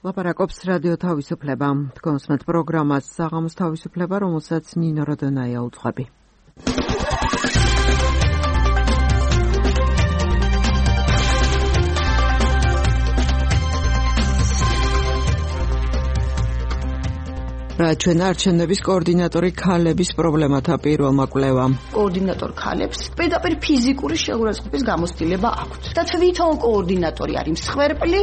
ლაპარაკობს რადიო თავისუფლება. თქვენსმეთ პროგრამას საღამოს თავისუფლება, რომელსაც ნინო როდონაია უძღვები. რა ჩვენ არჩევნების კოორდინატორი ქალების პრობლემათა პირველმა კვლევამ. კოორდინატორ ქალებს პირდაპირ ფიზიკური შეურაცხყოფის გამოცდილება აქვთ. და თვითონ კოორდინატორი არის მსხვერპლი.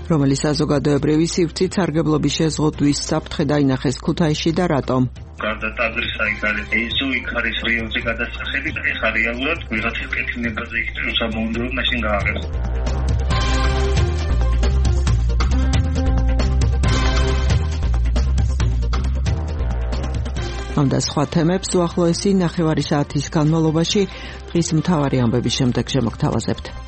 რომელიც საზოგადოებრივი სივრცით სარგებლობის შეზღუდვის საფრთხე დაინახეს ქუთაისში და რატომ? გარდა ტაძრის იქ არის ეზო, იქ არის რიონზე გადასახები და ეხლა რეალურად ვიღაცის კეთილნებაზე იქ უსაბუნდოა მაშინ გააღებს. ამ და სხვა თემებს უახლოესი ნახევარი საათის განმავლობაში დღის მთავარი ამბების შემდეგ შემოგთავაზებთ.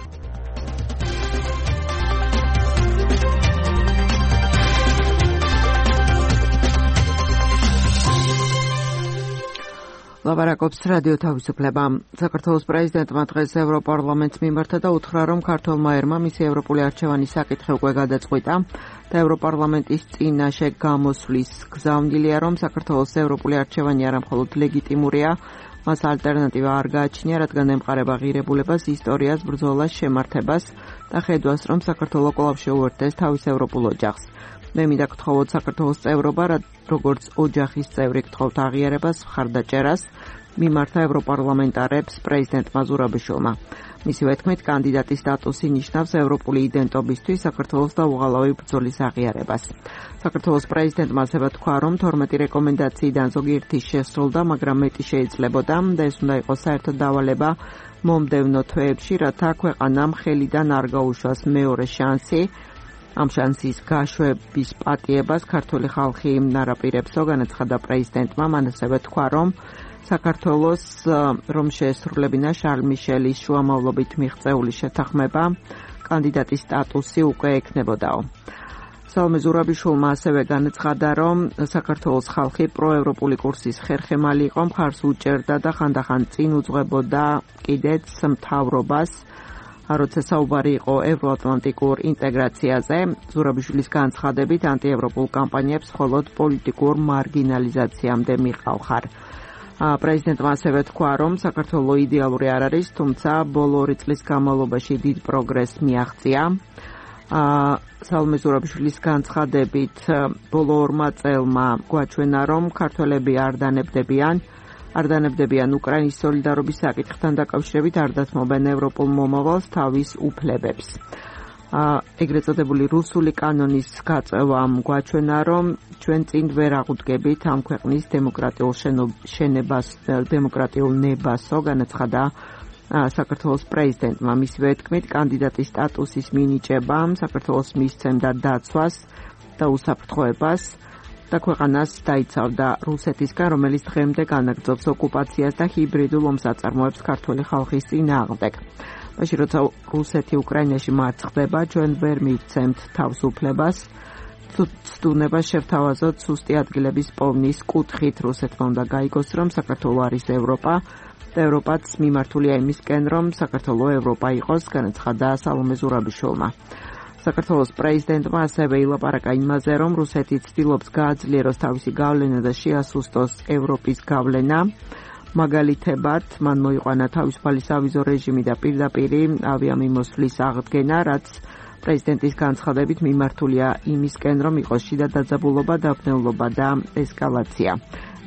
ლაპარაკობს რადიო თავისუფლება. საქართველოს პრეზიდენტმა დღეს ევროპარლამენტს მიმართა და უთხრა, რომ ქართველმა ერმა მისი ევროპული არჩევანის საკითხი უკვე გადაწყვიტა და ევროპარლამენტის წინაშე გამოსვლის გზავნილია, რომ საქართველოს ევროპული არჩევანი არა მხოლოდ ლეგიტიმურია, მას ალტერნატივა არ გააჩნია, რადგან ემყარება ღირებულებას, ისტორიას, ბრძოლას, შემართებას და ხედვას, რომ საქართველო კვლავ შეუერთდეს თავის ევროპულ ოჯახს. მე მინდა გთხოვოთ საქართველოს წევრობა, როგორც ოჯახის წევრი გთხოვთ აღიარებას, მხარდაჭერას მიმართა ევროპარლამენტარებს პრეზიდენტმა ზურაბიშვილმა. მისივე თქმით, კანდიდატის სტატუსი ნიშნავს ევროპული იდენტობისთვის საქართველოს და უღალავი ბრძოლის აღიარებას. საქართველოს პრეზიდენტმა ასევე თქვა, რომ 12 რეკომენდაციიდან ზოგიერთი შესრულდა, მაგრამ მეტი შეიძლებოდა და ეს უნდა იყოს საერთო დავალება მომდევნო თვეებში, რათა ქვეყანამ ხელიდან არ გაუშვას მეორე შანსი. ამ შანსის გაშვების პატიებას ქართული ხალხი ნარაპირებსო, განაცხადა პრეზიდენტმა. მან ასევე თქვა, რომ საქართველოს რომ შეესრულებინა შარლ მიშელის შუამავლობით მიღწეული შეთანხმება, კანდიდატის სტატუსი უკვე ექნებოდაო. სალომე ზურაბიშვილმა ასევე განაცხადა, რომ საქართველოს ხალხი პროევროპული კურსის ხერხემალი იყო, მხარს უჭერდა და ხანდახან წინ უძღვებოდა კიდეც მთავრობას, როცა საუბარი იყო ევროატლანტიკურ ინტეგრაციაზე. ზურაბიშვილის განცხადებით, ანტიევროპულ კამპანიებს მხოლოდ პოლიტიკურ მარგინალიზაციამდე მიყავხარ. პრეზიდენტმა ასევე თქვა, რომ საქართველო იდეალური არ არის, თუმცა ბოლო 2 წლის განმავლობაში დიდ პროგრესს მიაღწია. სალომე ზურაბიშვილის განცხადებით, ბოლო 2 წელმა გვაჩვენა, რომ ქართველები არ დანებდებიან უკრაინის სოლიდარობის საკითხთან დაკავშირებით, არ დათმობენ ევროპულ მომავალს, თავის უფლებებს. ეგრეთ წოდებული რუსული კანონის გაწევამ გვაჩვენა, რომ ჩვენ წინ ვერ აღუდგებით ამ ქვეყნის დემოკრატიულ ნებასო, განაცხადა საქართველოს პრეზიდენტმა. მისივე თქმით, კანდიდატის სტატუსის მინიჭებამ საქართველოს მისცემდა დაცვას და უსაფრთხოებას და ქვეყანას დაიცავდა რუსეთისგან, რომელიც დღემდე განაგრძობს ოკუპაციას და ჰიბრიდულ ომს აწარმოებს ქართული ხალხის წინააღმდეგ. მაშინ როცა რუსეთი უკრაინაში მარცხდება, ჩვენ ვერ მივცემთ თავისუფლებას, ცდუნებას შევთავაზოთ სუსტი ადგილების პოვნის კუთხით. რუსეთმა უნდა გაიგოს, რომ საქართველო არის ევროპა და ევროპაც მიმართულია იმისკენ, რომ საქართველო ევროპა იყოს, განაცხადა სალომე ზურაბიშვილმა. საქართველოს პრეზიდენტმა ასევე ილაპარაკა იმაზე, რომ რუსეთი ცდილობს გააძლიეროს თავისი გავლენა და შეასუსტოს ევროპის გავლენა. მაგალითებად, მან მოიყვანა თავისუფალი სავიზო რეჟიმი და პირდაპირი ავიამიმოსვლის აღდგენა, რაც პრეზიდენტის განცხადებით მიმართულია იმისკენ, რომ იყოს შიდა დაძაბულობა, დაბნეულობა და ესკალაცია.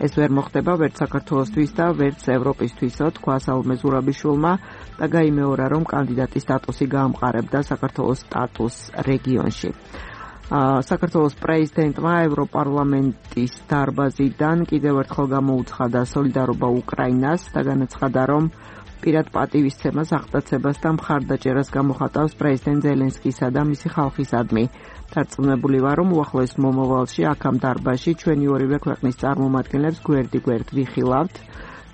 ეს ვერ მოხდება ვერც საქართველოსთვის და ვერც ევროპისთვისო, თქვა სალომე ზურაბიშვილმა და გაიმეორა, რომ კანდიდატის სტატუსი გაამყარებდა საქართველოს სტატუსს რეგიონში. საქართველოს პრეზიდენტმა ევროპარლამენტის დარბაზიდან კიდევ ერთხელ გამოუცხადა სოლიდარობა უკრაინას და განაცხადა, რომ პირად პატივისცემას, აღტაცებას და მხარდაჭერას გამოხატავს პრეზიდენტ ზელენსკისა და მისი ხალხისადმი. დარწმუნებული ვარ, რომ უახლოეს მომავალში აქ ამ დარბაზში ჩვენი ორივე ქვეყნის წარმომადგენლებს გვერდ-გვერდ ვიხილავთ,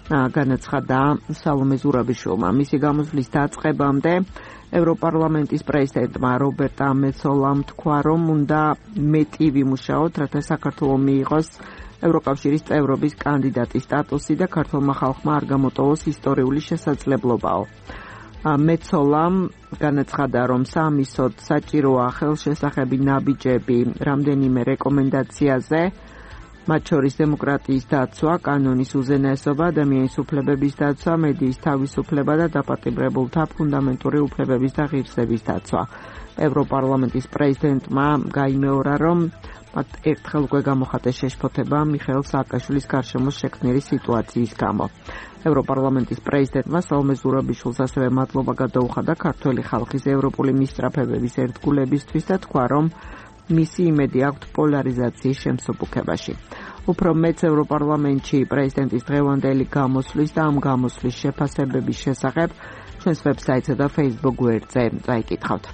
განაცხადა სალომე ზურაბიშვილმა. მისი გამოსვლის დაწყებამდე ევროპარლამენტის პრეზიდენტმა რობერტა მეცოლამ თქვა, რომ უნდა მეტი ვიმუშაოთ, რათა საქართველო მიიღოს ევროკავშირის წევრობის კანდიდატის სტატუსი და ქართულმა ხალხმა არ გამოტოვოს ისტორიული შესაძლებლობაო. მეცოლამ განაცხადა, რომ სამისოდ საჭიროა ხელშესახები ნაბიჯები რამდენიმე რეკომენდაციაზე, მათ შორის დემოკრატიის დაცვა, კანონის უზენაესობა, ადამიანის უფლებების დაცვა, მედიის თავისუფლება და დაპატიმრებულთა ფუნდამენტური უფლებების და ღირსების დაცვა. ევროპარლამენტის პრეზიდენტმა გაიმეორა, რომ მათ ერთხელ უკვე გამოხატეს შეშფოთება მიხეილ სააკაშვილის გარშემო შექმნილი სიტუაციის გამო. ევროპარლამენტის პრეზიდენტმა სალომე ზურაბიშვილს ასევე მადლობა გადაუხადა ქართველი ხალხის ევროპული მისწრაფებების ერთგულებისთვის და თქვა, რომ მისი იმედი აქვთ პოლარიზაციის შემსუბუქებაში. უფრო მეც ევროპარლამენტში პრეზიდენტის დღევანდელი გამოსვლის და ამ გამოსვლის შეფასებების შესახებ ჩვენს ვებსაიტსა და Facebook გვერდზე წაიკითხავთ.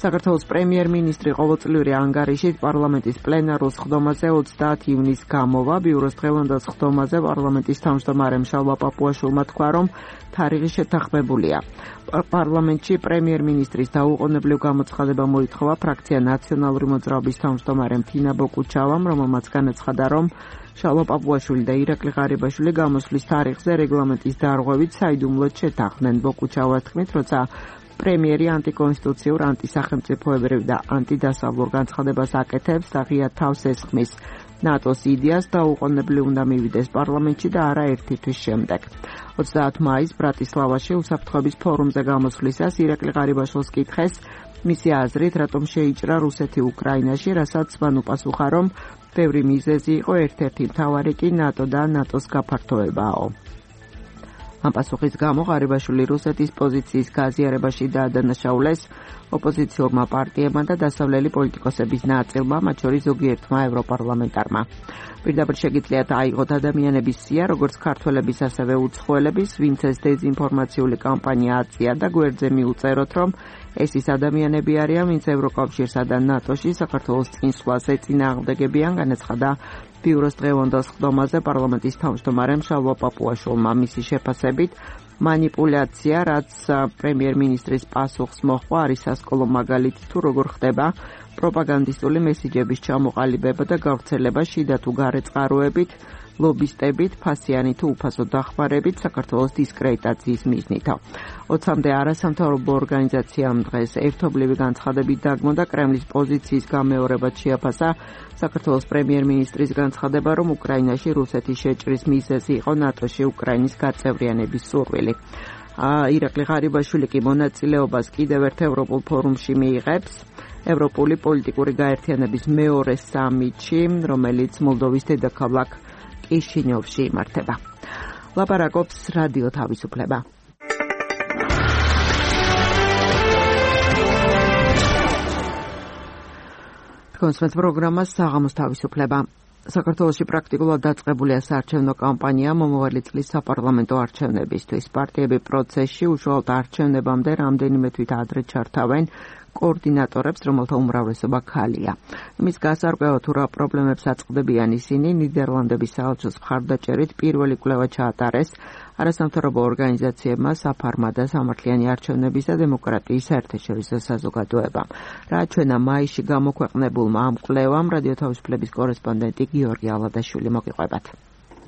საქართველოს პრემიერ-მინისტრი ყოველწლიური ანგარიშით პარლამენტის პლენარულ სხდომაზე 30 ივნისს გამოვა. ბიუროს დღევანდელ სხდომაზე პარლამენტის თავმჯდომარემ შალვა პაპუაშვილმა თქვა, რომ თარიღი შეთანხმებულია. პარლამენტში პრემიერ-მინისტრის დაუყოვნებლივ გამოცხადება მოითხოვა ფრაქცია ნაციონალური მოძრაობის თავმჯდომარემ თინა ბოკუჩავამ, რომელმაც განაცხადა, რომ შალვა პაპუაშვილი და ირაკლი ღარიბაშვილი გამოსვლის თარიღზე რეგლამენტის დარღვევით საიდუმლოდ შეთანხმდნენ. ბოკუჩავას თქმით, როცა პრემიერი ანტიკონსტიტუციურ, ანტისახელმწიფოებრივ და ანტიდასავლურ განცხადებას აკეთებს, აღია თავს ესხმის ნატოს იდეას დაუყოვნებლივ უნდა მივიდეს პარლამენტში და არა ერთი თვის შემდეგ. 30 მაისს ბრატისლავაში უსაფრთხოების ფორუმზე გამოსვლისას ირაკლი ღარიბაშვილს კითხეს მისი აზრით, რატომ შეიჭრა რუსეთი უკრაინაში, რასაც მან უპასუხა, რომ ბევრი მიზეზი იყო, ერთ-ერთი მთავარი კი ნატო და ნატოს გაფართოებაო. ამ პასუხის გამო ღარიბაშვილი რუსეთის პოზიციის გაზიარებაში დაადანაშაულეს ოპოზიციურმა პარტიებმა და დასავლელი პოლიტიკოსების ნაწილმა, მათ შორის ზოგიერთმა ევროპარლამენტარმა. პირდაპირ შეგიძლიათ აიღოთ ადამიანების სია, როგორც ქართველების, ასევე უცხოელების, ვინც ეს დეზინფორმაციული კამპანია აწია და გვერდზე მიუწეროთ, რომ ეს ის ადამიანები არიან, ვინც ევროკავშირსა და ნატოში საქართველოს წინსვლას ეწინააღმდეგებიან, განაცხადა ბიუროს დღევანდელ სხდომაზე პარლამენტის თავმჯდომარემ შალვა პაპუაშვილმა. მისი შეფასებით, манипуляция, რაც პრემიერ-მინისტრის პასუხს მოჰყვა, არის სასკოლო მაგალითი თუ როგორ ხდება პროპაგანდისტული მესიჯების ჩამოყალიბება და გავრცელება შიდა თუ გარე წყაროებით, ლობისტებით, ფასიანი თუ უფასო დახმარებით საქართველოს დისკრედიტაციის მიზნითო. 20-მდე არასამთავრობო ორგანიზაციამ დღეს ერთობლივი განცხადებით დაგმო და კრემლის პოზიციის გამეორებად შეაფასა საქართველოს პრემიერ-მინისტრის განცხადება, რომ უკრაინაში რუსეთის შეჭრის მიზეზი იყო ნატოში უკრაინის გაწევრიანების სურვილი. ირაკლი ღარიბაშვილი კი მონაწილეობას კიდევ ერთ ევროპულ ფორუმში მიიღებს, ევროპული პოლიტიკური გაერთიანების მეორე სამიტში, რომელიც მოლდოვის დედაქალაქ კიშინიოვში იმართება. ლაპარაკობს რადიო თავისუფლება. კონსმეთ პროგრამა საღამოს თავისუფლება. საქართველოში პრაქტიკულად დაწყებულია საარჩევნო კამპანია მომავალი წლის საპარლამენტო არჩევნებისთვის. პარტიები პროცესში უშუალოდ არჩევნებამდე რამდენიმე თვით ადრე ჩართავენ კოორდინატორებს, რომელთა უმრავლესობა ქალია. იმის გასარკვევად თუ რა პრობლემებს აწყდებიან ისინი, ნიდერლანდების საელჩოს მხარდაჭერით პირველი კვლევა ჩაატარეს არასამთავრობო ორგანიზაციებმა, საფარმა და სამართლიანი არჩევნების და დემოკრატიის საერთაშორისო საზოგადოებამ. რა ჩვენა მაისში გამოქვეყნებულმა ამ კვლევამ, რადიო თავისუფლების კორესპონდენტი გიორგი ალადაშვილი მოგიყვებათ.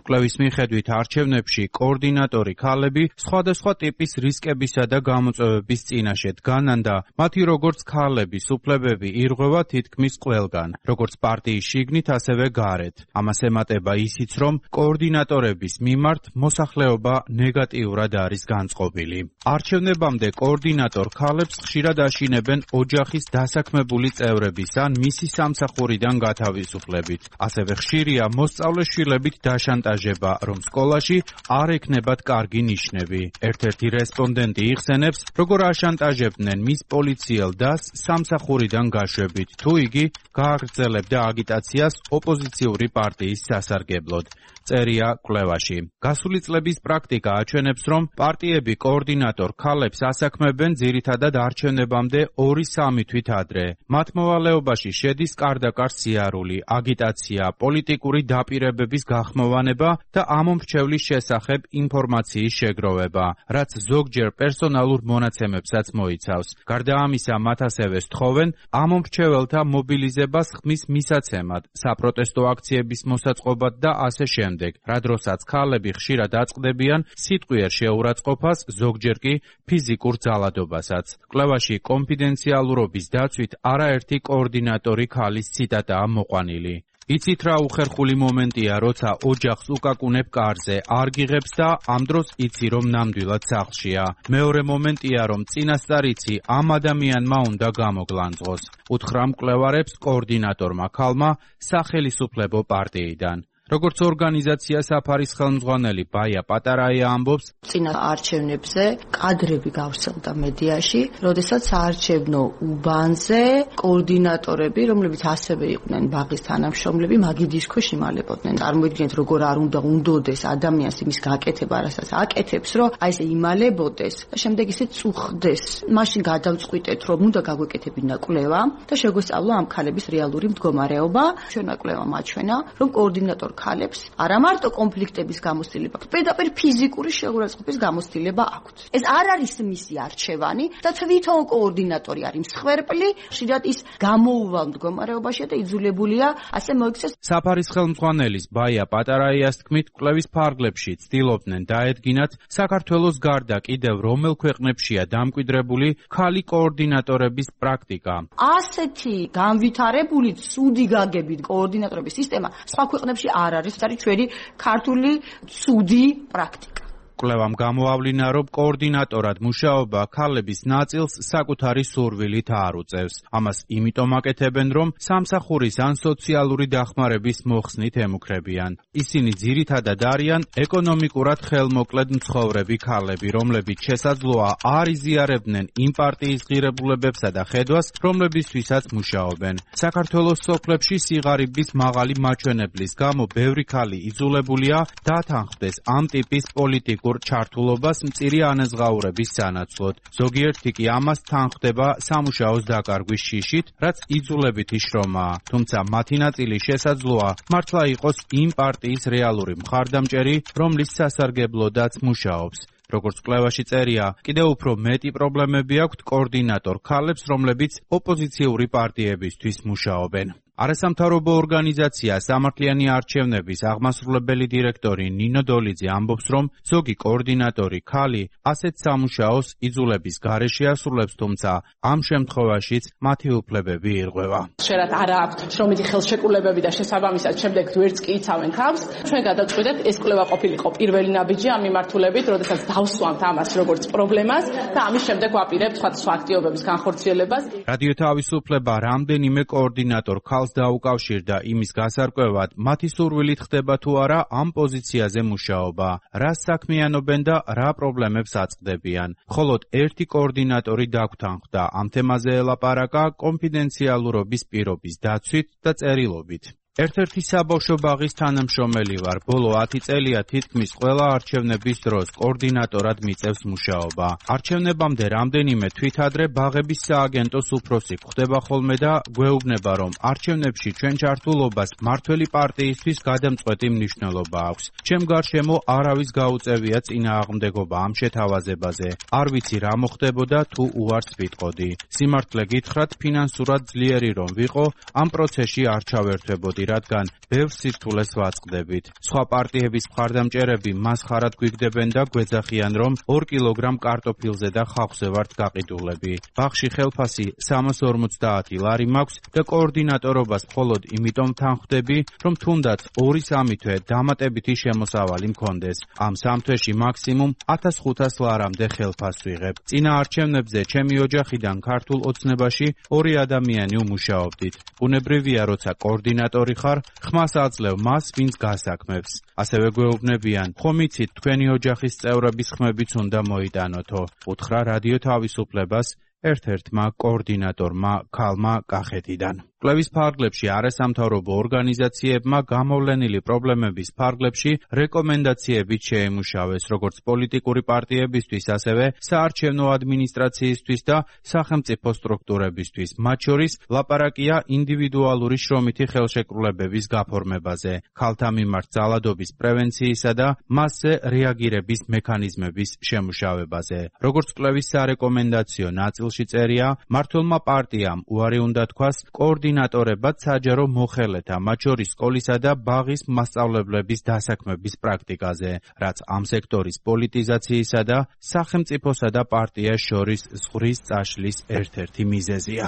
კვლევის მიხედვით არჩევნებში კოორდინატორი ქალები სხვადასხვა ტიპის რისკებისა და გამოწვევების წინაშე დგანან და მათი როგორც ქალების უფლებები ირღვევა თითქმის ყველგან, როგორც პარტიის შიგნით, ასევე გარეთ. ამას ემატება ისიც, რომ კოორდინატორების მიმართ მოსახლეობა ნეგატიურად არის განწყობილი. არჩევნებამდე კოორდინატორ ქალებს ხშირად აშინებენ ოჯახის დასაქმებული წევრების ან მისი სამსახურიდან გათავისუფლებით. ასევე ხშირია მოსწავლე შვილებით დაშანტაჟება, რომ სკოლაში არ ექნებათ კარგი ნიშნები. ერთ-ერთი რესპონდენტი იხსენებს, როგორ აშანტაჟებდნენ მის პოლიციელ დასს სამსახურიდან გაშვებით, თუ იგი გააგრძელებდა აგიტაციას ოპოზიციური პარტიის სასარგებლოდ. წერია კვლევაში. გასული წლების პრაქტიკა აჩვენებს, რომ პარტიები კოორდინატორ ქალებს ასაქმებენ ძირითადად არჩევნებამდე 2-3 თვით ადრე. მათ მოვალეობაში შედის კარდაკარ სიარული, აგიტაცია, პოლიტიკური დაპირებების გახმოვანება მიღება და ამომრჩევლის შესახებ ინფორმაციის შეგროვება, რაც ზოგჯერ პერსონალურ მონაცემებსაც მოიცავს. გარდა ამისა, მათ ასევე სთხოვენ ამომრჩეველთა მობილიზებას ხმის მისაცემად, საპროტესტო აქციების მოსაწყობად და ასე შემდეგ, რა დროსაც ქალები ხშირად აწყდებიან სიტყვიერ შეურაცხყოფას, ზოგჯერ კი ფიზიკურ ძალადობასაც. კვლევაში კონფიდენციალურობის დაცვით არაერთი კოორდინატორი ქალის ციტატაა მოყვანილი. იცით რა უხერხული მომენტია, როცა ოჯახს უკაკუნებ კარზე, არ გიღებს და ამ დროს იცი, რომ ნამდვილად სახლშია. მეორე მომენტია, რომ წინასწარ იცი, ამ ადამიანმა უნდა გამოგლანძღოს. უთხრა მკვლევარებს კოორდინატორმა ქალმა სახელისუფლებო პარტიიდან. როგორც ორგანიზაცია საფარის ხელმძღვანელი ბაია პატარაია ამბობს, წინა არჩევნებზე კადრები გავრცელდა მედიაში, როდესაც საარჩევნო უბანზე კოორდინატორები, რომლებიც ასევე იყვნენ ბაღის თანამშრომლები, მაგიდის ქვეშ იმალებოდნენ. წარმოიდგინეთ, როგორ არ უნდა უნდოდეს ადამიანს იმის გაკეთება, რასაც აკეთებს, რომ აი ესე იმალებოდეს და შემდეგ ისე წუხდეს. მაშინ გადავწყვიტეთ, რომ უნდა გაგვეკეთებინა კვლევა და შეგვესწავლა ამ ქალების რეალური მდგომარეობა. ჩვენმა კვლევამ აჩვენა, რომ კოორდინატორ ქალებს არა მარტო კონფლიქტების გამოცდილება, პირდაპირ ფიზიკური შეურაცხყოფის გამოცდილება აქვთ. ეს არ არის მისი არჩევანი და თვითონ კოორდინატორი არის მსხვერპლი, ხშირად ის გამოუვალ მდგომარეობაშია და იძულებულია ასე მოიქცეს. საფარის ხელმძღვანელის ბაია პატარაიას თქმით, კვლევის ფარგლებში ცდილობდნენ დაედგინათ საქართველოს გარდა კიდევ რომელ ქვეყნებშია დამკვიდრებული ქალი კოორდინატორების პრაქტიკა. ასეთი განვითარებული ცუდი გაგებით კოორდინატორების სისტემა სხვა ქვეყნებში არ არის ჩვენი ქართული ცუდი პრაქტიკა. კვლევამ გამოავლინა, რომ კოორდინატორად მუშაობა ქალების ნაწილს საკუთარი სურვილით არ უწევს. ამას იმიტომ აკეთებენ, რომ სამსახურის ან სოციალური დახმარების მოხსნით ემუქრებიან. ისინი ძირითადად არიან ეკონომიკურად ხელმოკლედ მცხოვრები ქალები, რომლებიც შესაძლოა არ იზიარებდნენ იმ პარტიის ღირებულებებსა და ხედვას, რომლებისთვისაც მუშაობენ. საქართველოს სოფლებში სიღარიბის მაღალი მაჩვენებლის გამო ბევრი ქალი იძულებულია დათანხმდეს ამ ტიპის პოლიტიკურ ჩართულობას მწირი ანაზღაურების სანაცვლოდ. ზოგიერთი კი ამას თანხმდება სამუშაოს დაკარგვის შიშით, რაც იძულებითი შრომაა. თუმცა მათი ნაწილი შესაძლოა მართლა იყოს იმ პარტიის რეალური მხარდამჭერი, რომლის სასარგებლოდაც მუშაობს. როგორც კვლევაში წერია, კიდევ უფრო მეტი პრობლემები აქვთ კოორდინატორ ქალებს, რომლებიც ოპოზიციური პარტიებისთვის მუშაობენ. არასამთავრობო ორგანიზაცია სამართლიანი არჩევნების აღმასრულებელი დირექტორი ნინო დოლიძე ამბობს, რომ ზოგი კოორდინატორი ქალი ასეთ სამუშაოს იძულების გარეშე ასრულებს, თუმცა ამ შემთხვევაშიც მათი უფლებები ირღვევა. ხშირად არ აქვთ შრომითი ხელშეკრულებები და შესაბამისად შემდეგ ვერც კი იცავენ თავს. ჩვენ გადავწყვიტეთ, ეს კვლევა ყოფილიყო პირველი ნაბიჯი ამ მიმართულებით, როდესაც დავსვამთ ამას როგორც პრობლემას და ამის შემდეგ ვაპირებთ სხვადასხვა აქტივობების განხორციელებას. რადიო თავისუფლება რამდენიმე კოორდინატორ დაუკავშირდა იმის გასარკვევად, მათი სურვილით ხდება თუ არა ამ პოზიციაზე მუშაობა, რას საქმიანობენ და რა პრობლემებს აწყდებიან. მხოლოდ ერთი კოორდინატორი დაგვთანხმდა ამ თემაზე ელაპარაკა კონფიდენციალურობის პირობის დაცვით და წერილობით. ერთ-ერთი საბავშვო ბაღის თანამშრომელი ვარ. ბოლო 10 წელია თითქმის ყველა არჩევნების დროს კოორდინატორად მიწევს მუშაობა. არჩევნებამდე რამდენიმე თვითადრე ბაღების სააგენტოს უფროსი გვხდება ხოლმე და გვეუბნება, რომ არჩევნებში ჩვენ ჩართულობას მმართველი პარტიისთვის გადამწყვეტი მნიშვნელობა აქვს. ჩემ გარშემო არავის გაუწევია წინააღმდეგობა ამ შეთავაზებაზე. არ ვიცი რა მოხდებოდა თუ უარს ვიტყოდი. სიმართლე გითხრათ, ფინანსურად ძლიერი რომ ვიყო, ამ პროცესში არ ჩავერთვებოდი, რადგან ბევრ სირთულეს ვაწყდებით. სხვა პარტიების მხარდამჭერები მას ხარად გვიგდებენ და გვეძახიან, რომ 2 კილოგრამ კარტოფილზე და ხავხზე ვართ გაყიდულები. ბაღში ხელფასი 350 ლარი მაქვს და კოორდინატორობას მხოლოდ იმიტომ თანხმდები, რომ თუნდაც 2-3 თვე დამატებითი შემოსავალი მქონდეს. ამ 3 თვეში მაქსიმუმ 1500 ლარამდე ხელფასს ვიღებ. წინა არჩევნებზე ჩემი ოჯახიდან ქართულ ოცნებაში 2 ადამიანი უმუშაობდით. ბუნებრივია, როცა კოორდინატორი ხარ, ხმას აძლევ მას, ვინც გასაქმებს. ასევე გვეუბნებიან, ხომ იცით, თქვენი ოჯახის წევრების ხმებიც უნდა მოიტანოთო. უთხრა რადიო თავისუფლებას ერთ-ერთმა კოორდინატორმა ქალმა კახეთიდან. კვლევის ფარგლებში არასამთავრობო ორგანიზაციებმა გამოვლენილი პრობლემების ფარგლებში რეკომენდაციებით შეემუშავეს როგორც პოლიტიკური პარტიებისთვის, ასევე საარჩევნო ადმინისტრაციისთვის და სახელმწიფო სტრუქტურებისთვის. მათ შორის ლაპარაკია ინდივიდუალური შრომითი ხელშეკრულებების გაფორმებაზე, ქალთა მიმართ ძალადობის პრევენციისა და მასზე რეაგირების მექანიზმების შემუშავებაზე. როგორც კვლევის სარეკომენდაციო ნაწილში წერია, მმართველმა პარტიამ უარი უნდა თქვას კოორდინატორებად საჯარო მოხელეთა, მათ შორის სკოლისა და ბაღის მასწავლებლების დასაქმების პრაქტიკაზე, რაც ამ სექტორის პოლიტიზაციისა და სახელმწიფოსა და პარტიას შორის ზღვრის წაშლის ერთ-ერთი მიზეზია.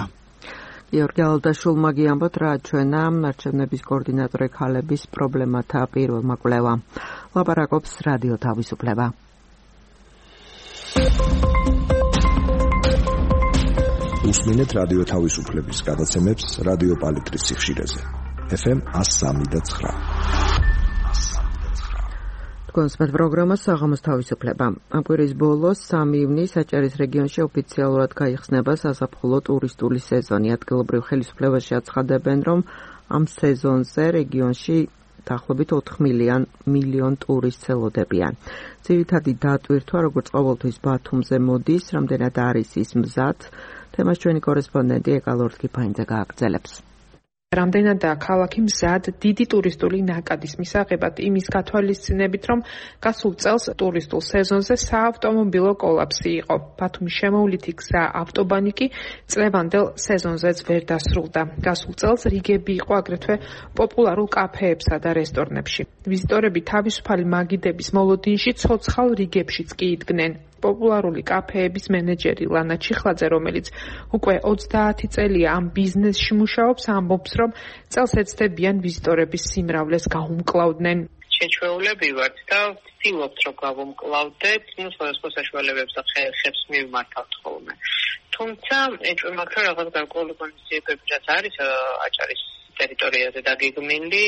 გიორგი ალდაშულმა გიამბოთ, რა ჩვენა არჩევნების კოორდინატორი ქალების პრობლემათა პირველმა კვლევამ. ლაპარაკობს რადიო თავისუფლება. უსმინეთ რადიო თავისუფლების გადაცემებს რადიო პალიტრის სიხშირეზე. FM 103.9. კონსპეთ პროგრამა საღამოს თავისუფლება. ამ კვირის ბოლოს 3 ივნის აჭარის რეგიონში ოფიციალურად გაიხსნება საზაფხულო ტურისტული სეზონი. ადგილობრივ ხელისუფლებაში აცხადებენ, რომ ამ სეზონზე რეგიონში დაახლოებით 4 მილიონ ტურისტს ელოდებიან. ძირითადი დატვირთვა, როგორც ყოველთვის ბათუმზე მოდის, რამდენად არის ის მზად, თემას ჩვენი კორესპონდენტი ეკალორთკიფაინძე გააგრძელებს. რამდენადაა ქალაქი მზად დიდი ტურისტული ნაკადის მისაღებად იმის გათვალისწინებით, რომ გასულ წელს ტურისტულ სეზონზე საავტომობილო კოლაფსი იყო. ბათუმის შემოვლითი გზა ავტობანი კი წლევანდელ სეზონზეც ვერ დასრულდა. გასულ წელს რიგები იყო აგრეთვე პოპულარულ კაფეებსა და რესტორნებში. ვიზიტორები თავისუფალი მაგიდების მოლოდინში ცოცხალ რიგებშიც კი იდგნენ. პოპულარული კაფეების მენეჯერი ლანა ჩიხლაძე, რომელიც უკვე 30 წელია ამ ბიზნესში მუშაობს, ამბობს, რომ წელს ეცდებიან ვიზიტორების სიმრავლეს გაუმკლავდნენ. შეჩვეულები ვართ და ვცდილობთ, რომ გავუმკლავდეთ, სხვადასხვა საშუალებებს და ხერხებს მივმართავთ ხოლმე. თუმცა ეჭვმაქვს, რომ რაღაც გარკვეული ღონისძიებები რაც არის აჭარის ტერიტორიაზე დაგეგმილი,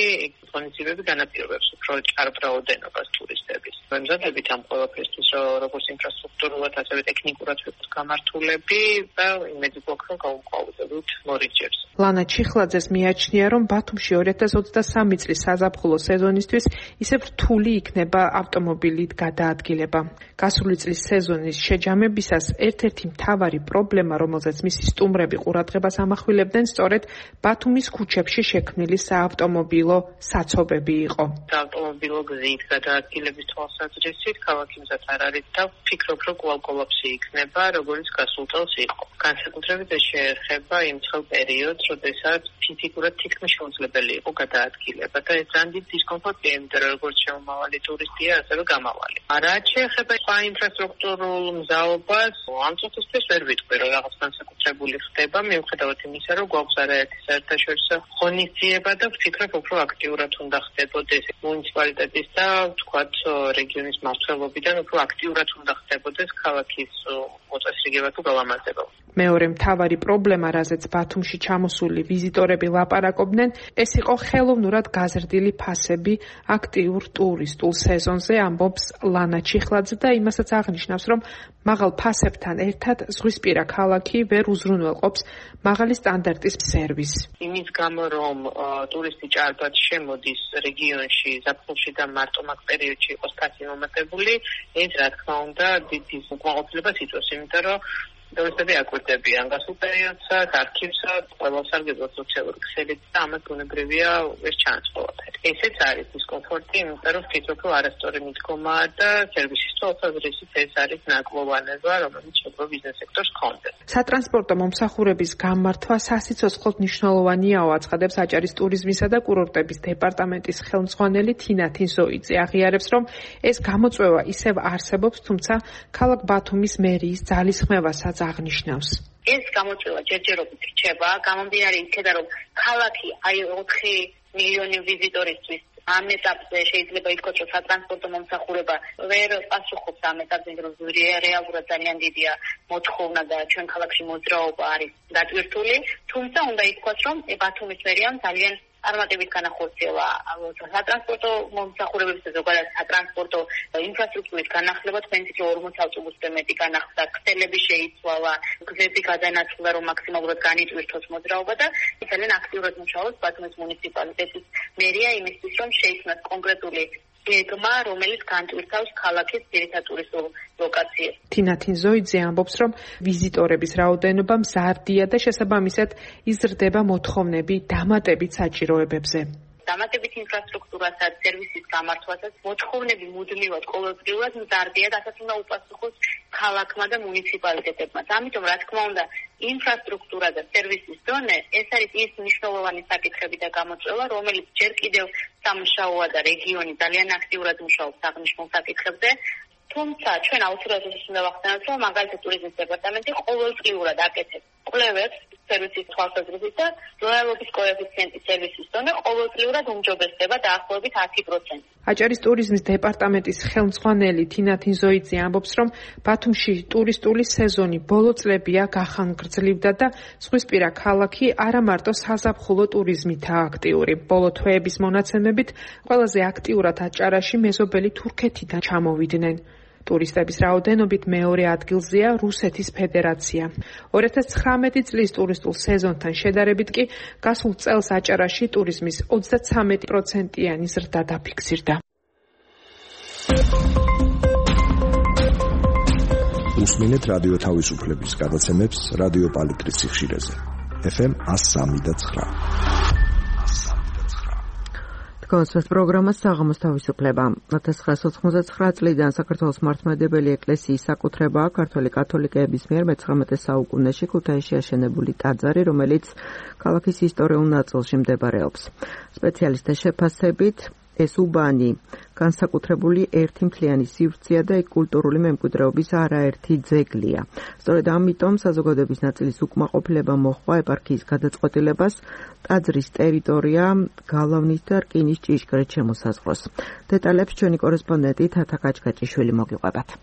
ღონისძიებები განაპირობებს უფრო ჭარბ რაოდენობას ტურისტების. მემზადებით ამ ყველაფერთვის, როგორც ინფრასტრუქტურულად, ასევე ტექნიკურად ვიყოთ გამართულები და იმედი გვაქვს, რომ გავუმკლავდებით მორიგჯერს. ლანა ჩიხლაძეს მიაჩნია, რომ ბათუმში 2023 წლის საზაფხულო სეზონისთვის ისევ რთული იქნება ავტომობილით გადაადგილება. გასული წლის სეზონის შეჯამებისას ერთ-ერთი მთავარი პრობლემა, რომელზეც მისი სტუმრები ყურადღებას ამახვილებდნენ, სწორედ ბათუმის ქუჩებში შექმნილი საავტომობილო საცობები იყო. საავტომობილო გზით გადაადგილების თვალსაზრისით ქალაქი მზად არ არის და ვფიქრობ, რომ კვლავ კოლაფსი იქნება, როგორც გასულ წელს იყო. განსაკუთრებით ეს შეეხება იმ ცხელ პერიოდს, როდესაც ფიზიკურად თითქმის შეუძლებელი იყო გადაადგილება და ეს ძალიან დიდი დისკომფორტია, იმიტომ რომ როგორც შემომავალი ტურისტია, ასევე გამავალი. რაც შეეხება სხვა ინფრასტრუქტურულ მზაობას, ამ წუთისთვის ვერ ვიტყვი, რომ რაღაც განსაკუთრებული ხდება, მიუხედავად იმისა, რომ გვაქვს არაერთი საერთაშორისო ღონისძიება და ვფიქრობ, უფრო აქტიურად უნდა ხდებოდეს მუნიციპალიტეტის და ვთქვათ რეგიონის მმართველობიდან უფრო აქტიურად უნდა ხდებოდეს ქალაქის მოწესრიგება თუ გალამაზება. მეორე მთავარი პრობლემა, რაზეც ბათუმში ჩამოსული ვიზიტორები ლაპარაკობდნენ, ეს იყო ხელოვნურად გაზრდილი ფასები აქტიურ ტურისტულ სეზონზე, ამბობს ლანა ჩიხლაძე და იმასაც აღნიშნავს, რომ მაღალ ფასებთან ერთად ზღვისპირა ქალაქი ვერ უზრუნველყოფს მაღალი სტანდარტის სერვისს. იმის გამო, რომ ტურისტი ჭარბად შემოდის რეგიონში, ზაფხულში და მარტო-მაგ პერიოდში იყოს ფასი მომატებული, ეს რა თქმა უნდა დიდი უკმაყოფილებას იწვევს, იმიტომ რომ ტურისტები აკვირდებიან გასულ პერიოდსაც, არქივსაც, ყველა სარგებლო სოციალური ქსელით და ამას ბუნებრივია ვერ ჩანს ყველაფერი. ესეც არის დისკომფორტი, იმიტომ რომ ვფიქრობ, რომ არასწორი მიდგომაა და სერვისის თვალსაზრისით ეს არის ნაკლოვანება, რომელიც შეგვიძლია ბიზნეს სექტორს ჰქონდეს. სატრანსპორტო მომსახურების გამართვა სასიცოცხლოდ მნიშვნელოვანია, აცხადებს აჭარის ტურიზმისა და კურორტების დეპარტამენტის ხელმძღვანელი თინა თინსოიძე. აღიარებს, რომ ეს გამოწვევა ისევ არსებობს, თუმცა ქალაქ ბათუმის მერიის ძალისხმევასაც აღნიშნავს. ეს გამოწვევა ჯერჯერობით რჩება, გამომდინარე იქედან, რომ ქალაქი 4 მილიონი ვიზიტორისთვის ამ ეტაპზე შეიძლება ითქვას, რომ სატრანსპორტო მომსახურება ვერ პასუხობს ამ ეტაპზე, რომ რეალურად ძალიან დიდია მოთხოვნა და ჩვენ ქალაქში მოძრაობა არის დატვირთული, თუმცა უნდა ითქვას, რომ ბათუმის მერიამ ძალიან წარმატებით განახორციელა სატრანსპორტო მომსახურებების და ზოგადად სატრანსპორტო ინფრასტრუქტურის განახლება, თქვენ თვითონ 40 ავტობუსზე მეტი განახლდა, ქსელები შეიცვალა, გზები გადანაწილდა, რომ მაქსიმალურად განიწვირთოს მოძრაობა და ძალიან აქტიურად მუშაობს ბათუმის მუნიციპალიტეტის მერია იმისთვის, რომ შეიცნოს კონკრეტული გეგმა, რომელიც განტვირთავს ქალაქის ძირითად ტურისტულ ლოკაციებს. თინა თინზოიძე ამბობს, რომ ვიზიტორების რაოდენობა მზარდია და შესაბამისად იზრდება მოთხოვნები დამატებით საჭიროებებზე. დამატებით ინფრასტრუქტურასაც, სერვისის გამართვასაც მოთხოვნები მუდმივად ყოველდღიურად მზარდია და ასაც უნდა უპასუხოს ქალაქმა და მუნიციპალიტეტებმა. ამიტომ, რა თქმა უნდა, ინფრასტრუქტურა და სერვისის დონე ეს არის ის მნიშვნელოვანი საკითხები და გამოწვევა, რომელიც ჯერ კიდევ სამუშაოა და რეგიონი ძალიან აქტიურად მუშაობს აღნიშნულ საკითხებზე. თუმცა ჩვენ აუცილებლად უნდა ვახსენოთ, რომ მაგალითად ტურიზმის დეპარტამენტი ყოველდღიურად აკეთებს კვლევებს სერვისის თვალსაზრისით და ლოიალობის კოეფიციენტის სერვისის დონე ყოველდღიურად უმჯობესდება დაახლოებით 10%. აჭარის ტურიზმის დეპარტამენტის ხელმძღვანელი თინა თინზოიძე ამბობს, რომ ბათუმში ტურისტული სეზონი ბოლო წლებია გახანგრძლივდა და ზღვისპირა ქალაქი არა მარტო საზაფხულო ტურიზმითაა აქტიური. ბოლო თვეების მონაცემებით ყველაზე აქტიურად აჭარაში მეზობელი თურქეთიდან ჩამოვიდნენ. ტურისტების რაოდენობით მეორე ადგილზეა რუსეთის ფედერაცია. 2019 წლის ტურისტულ სეზონთან შედარებით კი გასულ წელს აჭარაში ტურიზმის 33%-იანი ზრდა დაფიქსირდა. უსმინეთ რადიო თავისუფლების გადაცემებს რადიო პალიტრის სიხშირეზე. FM 103.9. კონსერტ პროგრამა საღამოს თავისუფლება. 1999 წლიდან საქართველოს მართლმადიდებელი ეკლესიის საკუთრებაა ქართველი კათოლიკეების მიერ მე-19 საუკუნეში ქუთაისში აშენებული ტაძარი, რომელიც ქალაქის ისტორიულ ნაწილში მდებარეობს. სპეციალისტთა შეფასებით ეს უბანი განსაკუთრებული ერთი მთლიანი სივრცეა და კულტურული მემკვიდრეობის არაერთი ძეგლია. სწორედ ამიტომ საზოგადოების ნაწილის უკმაყოფილება მოჰყვა ეპარქიის გადაწყვეტილებას ტაძრის ტერიტორია გალავნით და რკინის ჭიშკრით შემოსაზღვროს. დეტალებს ჩვენი კორესპონდენტი თათა კაჭკაჭიშვილი მოგიყვებათ.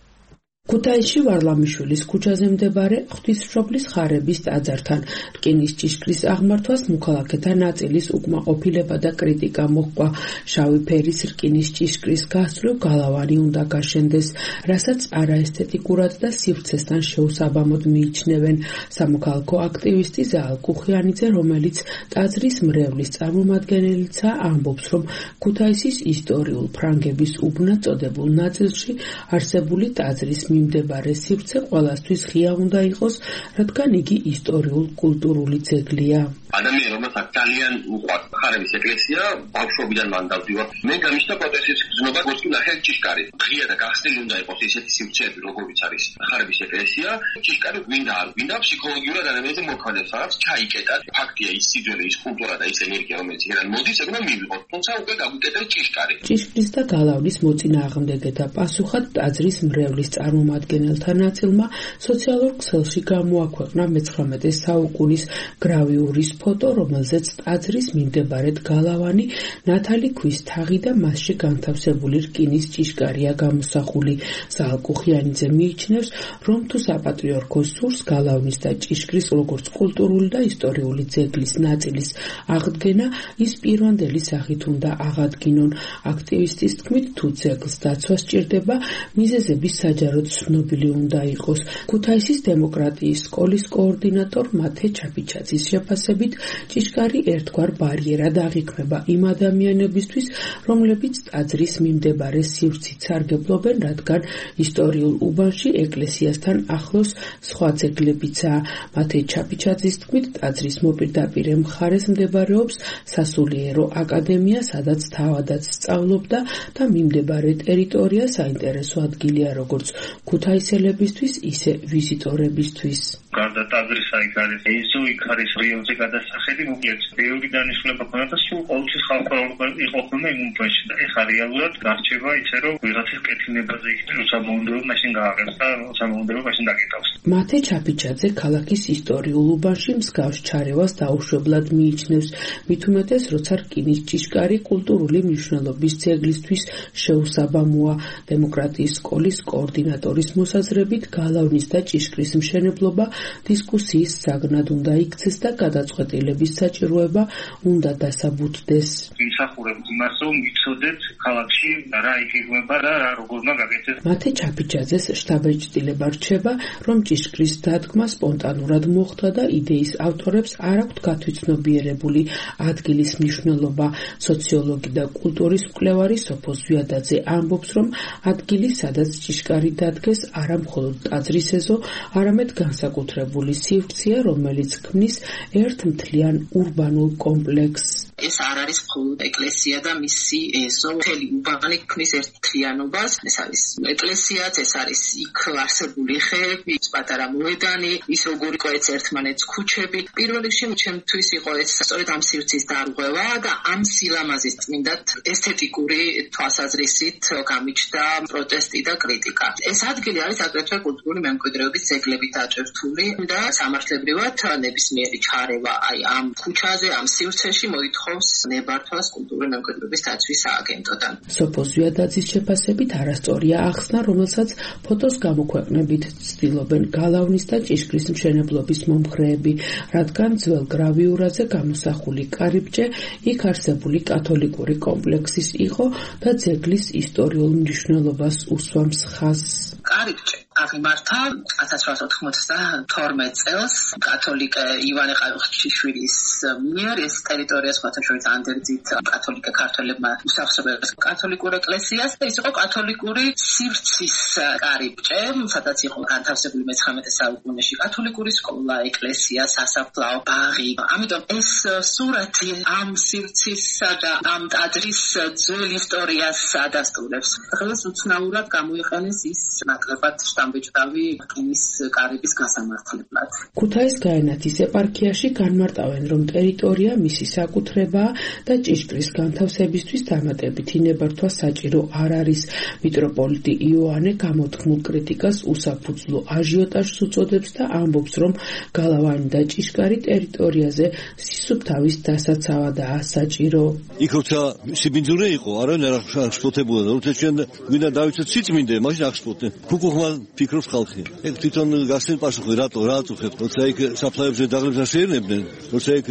ქუთაისში ვარლამიშვილის ქუჩაზე მდებარე ღვთისმშობლის ხარების ტაძართან რკინის ჭიშკრის აღმართვას მოქალაქეთა ნაწილის უკმაყოფილება და კრიტიკა მოჰყვა. შავი ფერის რკინის ჭიშკრის გასწვრივ გალავანი უნდა გაშენდეს, რასაც არაესთეტიკურად და სივრცესთან შეუსაბამოდ მიიჩნევენ. სამოქალაქო აქტივისტი ზაალ კუხიანიძე, რომელიც ტაძრის მრევლის წარმომადგენელიცაა, ამბობს, რომ ქუთაისის ისტორიულ ფრანგების უბნად წოდებულ ნაწილში არსებული ტაძრის მიმდებარე სივრცე ყველასთვის ღია უნდა იყოს, რადგან იგი ისტორიულ-კულტურული ძეგლია. ადამიანი, რომელსაც ძალიან უყვარს ხარების ეკლესია, ბავშვობიდან მან დავდივარ. მე გამიშთა პროტესტის გზნობა გოსკი ნახე ჭიშკარი. ღია და გახსნილი უნდა იყოს ესეთი სივრცეები, როგორიც არის ხარების ეკლესია. ჭიშკარი გვინდა არ გვინდა, ფსიქოლოგიურად ადამიანზე მოქმედებს, რაღაც ჩაიკეტა. ფაქტია ის სიძველე, ის კულტურა და ის ენერგია, რომელიც იქიდან მოდის, ეგ უნდა მივიღოთ. თუმცა უკვე გაგვიკეტეს ჭიშკარი. ჭიშკრის და გალავნის მოწინააღმდეგეთა პასუხად ტაძრის მრევლის წარმომადგენელთა ნაწილმა სოციალურ ქსელში გამოაქვეყნა მე-19 საუკუნის გრავიურის ფოტო, რომელზეც ტაძრის მიმდებარედ გალავანი, ნათალი ქვის თაღი და მასში განთავსებული რკინის ჭიშკარია გამოსახული. ზაალ კუხიანიძე მიიჩნევს, რომ თუ საპატრიარქო სურს გალავნის და ჭიშკრის როგორც კულტურული და ისტორიული ძეგლის ნაწილის აღდგენა, ის პირვანდელი სახით უნდა აღადგინონ. აქტივისტის თქმით, თუ ძეგლს დაცვა სჭირდება, მიზეზების საჯაროდ ცნობილი უნდა იყოს. ქუთაისის დემოკრატიის სკოლის კოორდინატორ მათე ჩაფიჩაძის შეფასებით, ჭიშკარი ერთგვარ ბარიერად აღიქმება იმ ადამიანებისთვის, რომლებიც ტაძრის მიმდებარე სივრცით სარგებლობენ, რადგან ისტორიულ უბანში ეკლესიასთან ახლოს სხვა ძეგლებიცაა. მათე ჩაფიჩაძის თქმით, ტაძრის მოპირდაპირე მხარეს მდებარეობს სასულიერო აკადემია, სადაც თავადაც სწავლობდა და მიმდებარე ტერიტორია საინტერესო ადგილია როგორც ქუთაისელებისთვის, ისე ვიზიტორებისთვის. გარდა ტაძრისა იქ არის ეზო, იქ არის რიონზე გადასახადი, მოკლედ ბევრი დანიშნულება ქონდა და სულ ყოველთვის ხალხი იყო ხომ იმ უბანში და ეხლა რეალურად გარჩევა ისე რომ ვიღაცის კეთილნებაზე იქნება სამომდრო მაშინ გააღებს და სამომდრო მაშინ დაკეტავს. მათე ჩაფიჩაძე ქალაქის ისტორიულ უბანში მსგავს ჩარევას დაუშვებლად მიიჩნევს, მით უმეტეს როცა რკინის ჭიშკარი კულტურული მნიშვნელობის ძეგლისთვის შეუსაბამოა. დემოკრატიის სკოლის კოორდინატორ კოორდინატორის მოსაზრებით გალავნის და ჭიშკრის მშენებლობა დისკუსიის საგნად უნდა იქცეს და გადაწყვეტილების საჭიროება უნდა დასაბუთდეს. იმსახურებ იმას, რომ ვიცოდეთ ქალაქში რა იგეგმება და რა როგორ უნდა გაკეთდეს. მათე ჩაფიჩაძეს შტაბ-ეჭდილება რჩება, რომ ჭიშკრის დადგმა სპონტანურად მოხდა და იდეის ავტორებს არ აქვთ გათვითცნობიერებული ადგილის მნიშვნელობა. სოციოლოგი და კულტურის მკვლევარი სოფო ზვიადაძე ამბობს, რომ ადგილი, სადაც ჭიშკარი დადგეს, არა მხოლოდ ტაძრის ეზო, არამედ განსაკუთრებული სივრცეა, რომელიც ქმნის ერთ მთლიან ურბანულ კომპლექსს. ეს არ არის მხოლოდ ეკლესია და მისი ეზო, მთელი ურბანი ქმნის ერთ მთლიანობას. ეს არის ეკლესიაც, ეს არის იქ არსებული ხეები, პატარა მოედანი, ის როგორი იყო ეს ერთმანეთს ქუჩები. პირველ რიგში ჩემთვის იყო ეს სწორედ ამ სივრცის დარღვევა და ამ სილამაზის წმინდად ესთეტიკური თვალსაზრისით გამიჩნდა პროტესტი და კრიტიკა. ეს ადგილი არის აგრეთვე კულტურული მემკვიდრეობის ძეგლებით დაჭერთული და სამართლებრივად ნებისმიერი ჩარევა აი ამ ქუჩაზე, ამ სივრცეში მოითხოვს ნებართვას კულტურული მემკვიდრეობის დაცვის სააგენტოდან. სოფო ზვიადაძის შეფასებით არასწორია ახსნა, რომელსაც ფოტოს გამოქვეყნებით ცდილობენ გალავნის და ჭიშკრის მშენებლობის მომხრეები, რადგან ძველ გრავიურაზე გამოსახული კარიბჭე იქ არსებული კათოლიკური კომპლექსის იყო და ძეგლის ისტორიულ მნიშვნელობას უსვამს ხაზს. კარიბჭე აღიმართა 1892 წელს კათოლიკე ივანე ყაიუხჩიშვილის მიერ. ეს ტერიტორია სხვათა შორის ანდერძით კათოლიკე ქართველებმა უსახსრებელს კათოლიკურ ეკლესიას და ის იყო კათოლიკური სივრცის კარიბჭე, სადაც იყო განთავსებული მე-19 საუკუნეში კათოლიკური სკოლა, ეკლესია, სასაფლაო, ბაღი. ამიტომ ეს სურათი ამ სივრცისა და ამ ტაძრის ძველ ისტორიას ადასტურებს. დღეს უცნაურად გამოიყენეს ის ნაკლებად შტამბეჭდავი რკინის კარიბის გასამართლებლად. ქუთაის გაენათის ეპარქიაში განმარტავენ, რომ ტერიტორია მისი საკუთრებაა და ჭიშკრის განთავსებისთვის დამატებითი ნებართვა საჭირო არ არის. მიტროპოლიტი იოანე გამოთქმულ კრიტიკას უსაფუძვლო აჟიოტაჟს უწოდებს და ამბობს, რომ გალავანი და ჭიშკარი ტერიტორიაზე სისუფთავის დასაცავადაა საჭირო. იქ როცა სიბინძურე იყო, არავინ არ აღშფოთებულა და როცა ჩვენ გვინდა დავიცოთ სიწმინდე, მაშინ აღშფოთდნენ. ფუკუხმა ფიქრობს ხალხი. ეგ თვითონ გასცენ პასუხი, რატო რა აწუხებთ? როცა იქ საფლავებზე დაღლებს აშენებდნენ, როცა იქ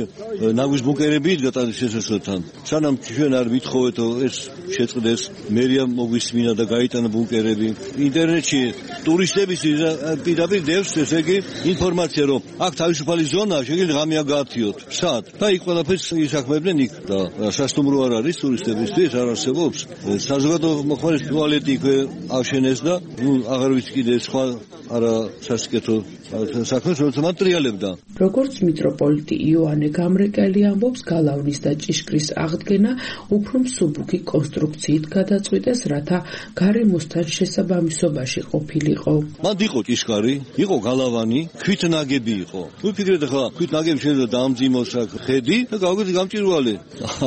ნაგვის ბუნკერები იდგა ტაძრის შესასვლელთან. სანამ ჩვენ არ ვითხოვეთ ეს შეწყდეს, მერია მოგვისმინა და გაიტანა ბუნკერები. ინტერნეტში ტურისტების პირდაპირ დევს ესე იგი ინფორმაცია, რომ აქ თავისუფალი ზონაა, შეგიძლია ღამე გაათიოთ. სად? და იქ ყველაფერს ისაქმებდნენ იქ და სასტუმრო არ არის ტურისტებისთვის, არ არსებობს. საზოგადო მოხმარის ტუალეტი იქვე აშენეს და აღარ ვიცი კიდე სხვა არა სასიკეთო საქმეს როცა მატრიალებდა. როგორც მიტროპოლიტი იოანე გამრეკელი ამბობს, გალავნის და ჭიშკრის აღდგენა უფრო მსუბუქი კონსტრუქციით გადაწყვიტეს, რათა გარემოსთან შესაბამისობაში ყოფილიყო. მანდ იყო ჭიშკარი, იყო გალავანი, ქვით ნაგები იყო. ვიფიქრეთ ახლა ქვით ნაგები შეიძლება დაამძიმოს აქ ხედი და გავიგეთ გამჭირვალე.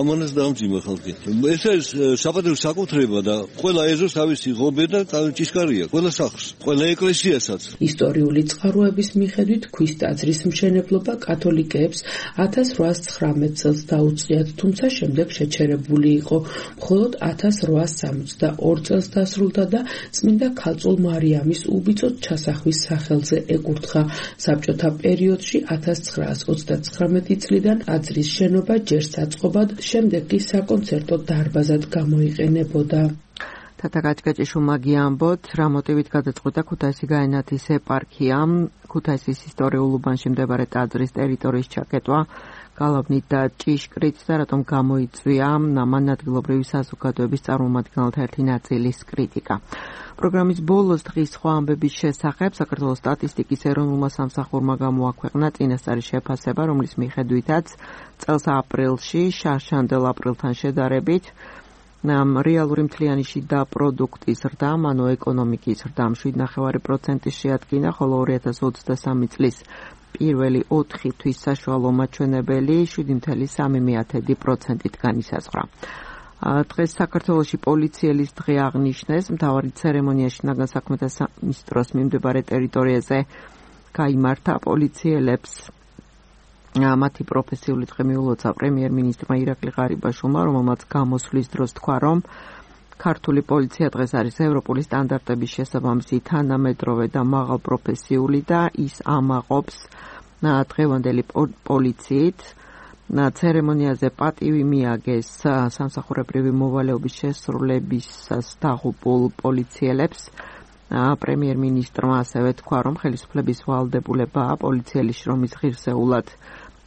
ამანაც დაამძიმა ხალხი. ეს არის საპატიო საკუთრება და ყველა ეზოს თავისი ღობე და ჭიშკარია, ყველა სახლს, ყველა ეკლესიასაც. ისტორიული წყაროების მიხედვით ქვის ტაძრის მშენებლობა კათოლიკეებს 1819 წელს დაუწყიათ, თუმცა შემდეგ შეჩერებული იყო. მხოლოდ 1862 წელს დასრულდა და წმინდა ქალწულ მარიამის უბიწოდ ჩასახვის სახელზე ეკურთხა. საბჭოთა პერიოდში 1939 წლიდან ტაძრის შენობა ჯერ საწყობად, შემდეგ კი საკონცერტო დარბაზად გამოიყენებოდა. თათაკაჭკაჭიშვილმა ამბოთ, რა მოტივით გადაწყვიტა ქუთაისი გაენათის ეპარქიამ ქუთაისის ისტორიულ უბანში მდებარე ტაძრის ტერიტორიის ჩაკეტვა გალავნით და ჭიშკრით და რატომ გამოიწვია ამან ადგილობრივი საზოგადოების წარმომადგენელთა ერთი ნაწილის კრიტიკა. პროგრამის ბოლოს დღის სხვა ამბების შესახებ საქართველოს სტატისტიკის ეროვნულმა სამსახურმა გამოაქვეყნა წინასწარი შეფასება, რომლის მიხედვითაც წელს აპრილში შარშანდელ აპრილთან შედარებით რეალური მთლიანი შიდა პროდუქტის ზრდამ, ანუ ეკონომიკის ზრდამ 7.9% შეადგინა, ხოლო 2023 წლის პირველი 4 თვის საშუალო მაჩვენებელი 7.3%-ით განისაზღვრა. დღეს საქართველოში პოლიციელის დღე აღნიშნეს, მთავარი ცერემონიაში ნაგან საქმეთა სამინისტროს მიმდებარე ტერიტორიაზე გაიმართა პოლიციელებს მათი პროფესიული დღე მიულოცა პრემიერ-მინისტრმა ირაკლი ღარიბაშვილმა, რომელმაც გამოსვლის დროს თქვა, რომ ქართული პოლიცია დღეს არის ევროპული სტანდარტების შესაბამისი თანამედროვე და მაღალპროფესიული და ის ამაყობს დღევანდელი პოლიციით. ცერემონიაზე პატივი მიაგეს სამსახურებრივი მოვალეობის შესრულებისას დაღუპულ პოლიციელებს. პრემიერ-მინისტრმა ასევე თქვა, რომ ხელისუფლების ვალდებულებაა პოლიციელის შრომის ღირსეულად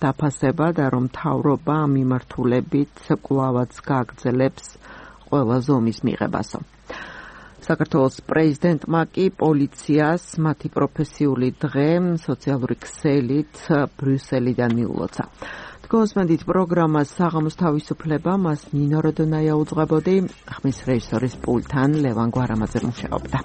დაფასება და რომ მთავრობა ამ მიმართულებით კვლავაც გააგრძელებს ყველა ზომის მიღებასო. საქართველოს პრეზიდენტმა კი პოლიციას მათი პროფესიული დღე სოციალური ქსელით ბრიუსელიდან მიულოცა. გოსმენდით პროგრამას საღამოს თავისუფლება მას ნინო როდონაია უძღვებოდი, ხმის რეჟისორის პულტთან ლევან გვარამაძე მუშაობდა.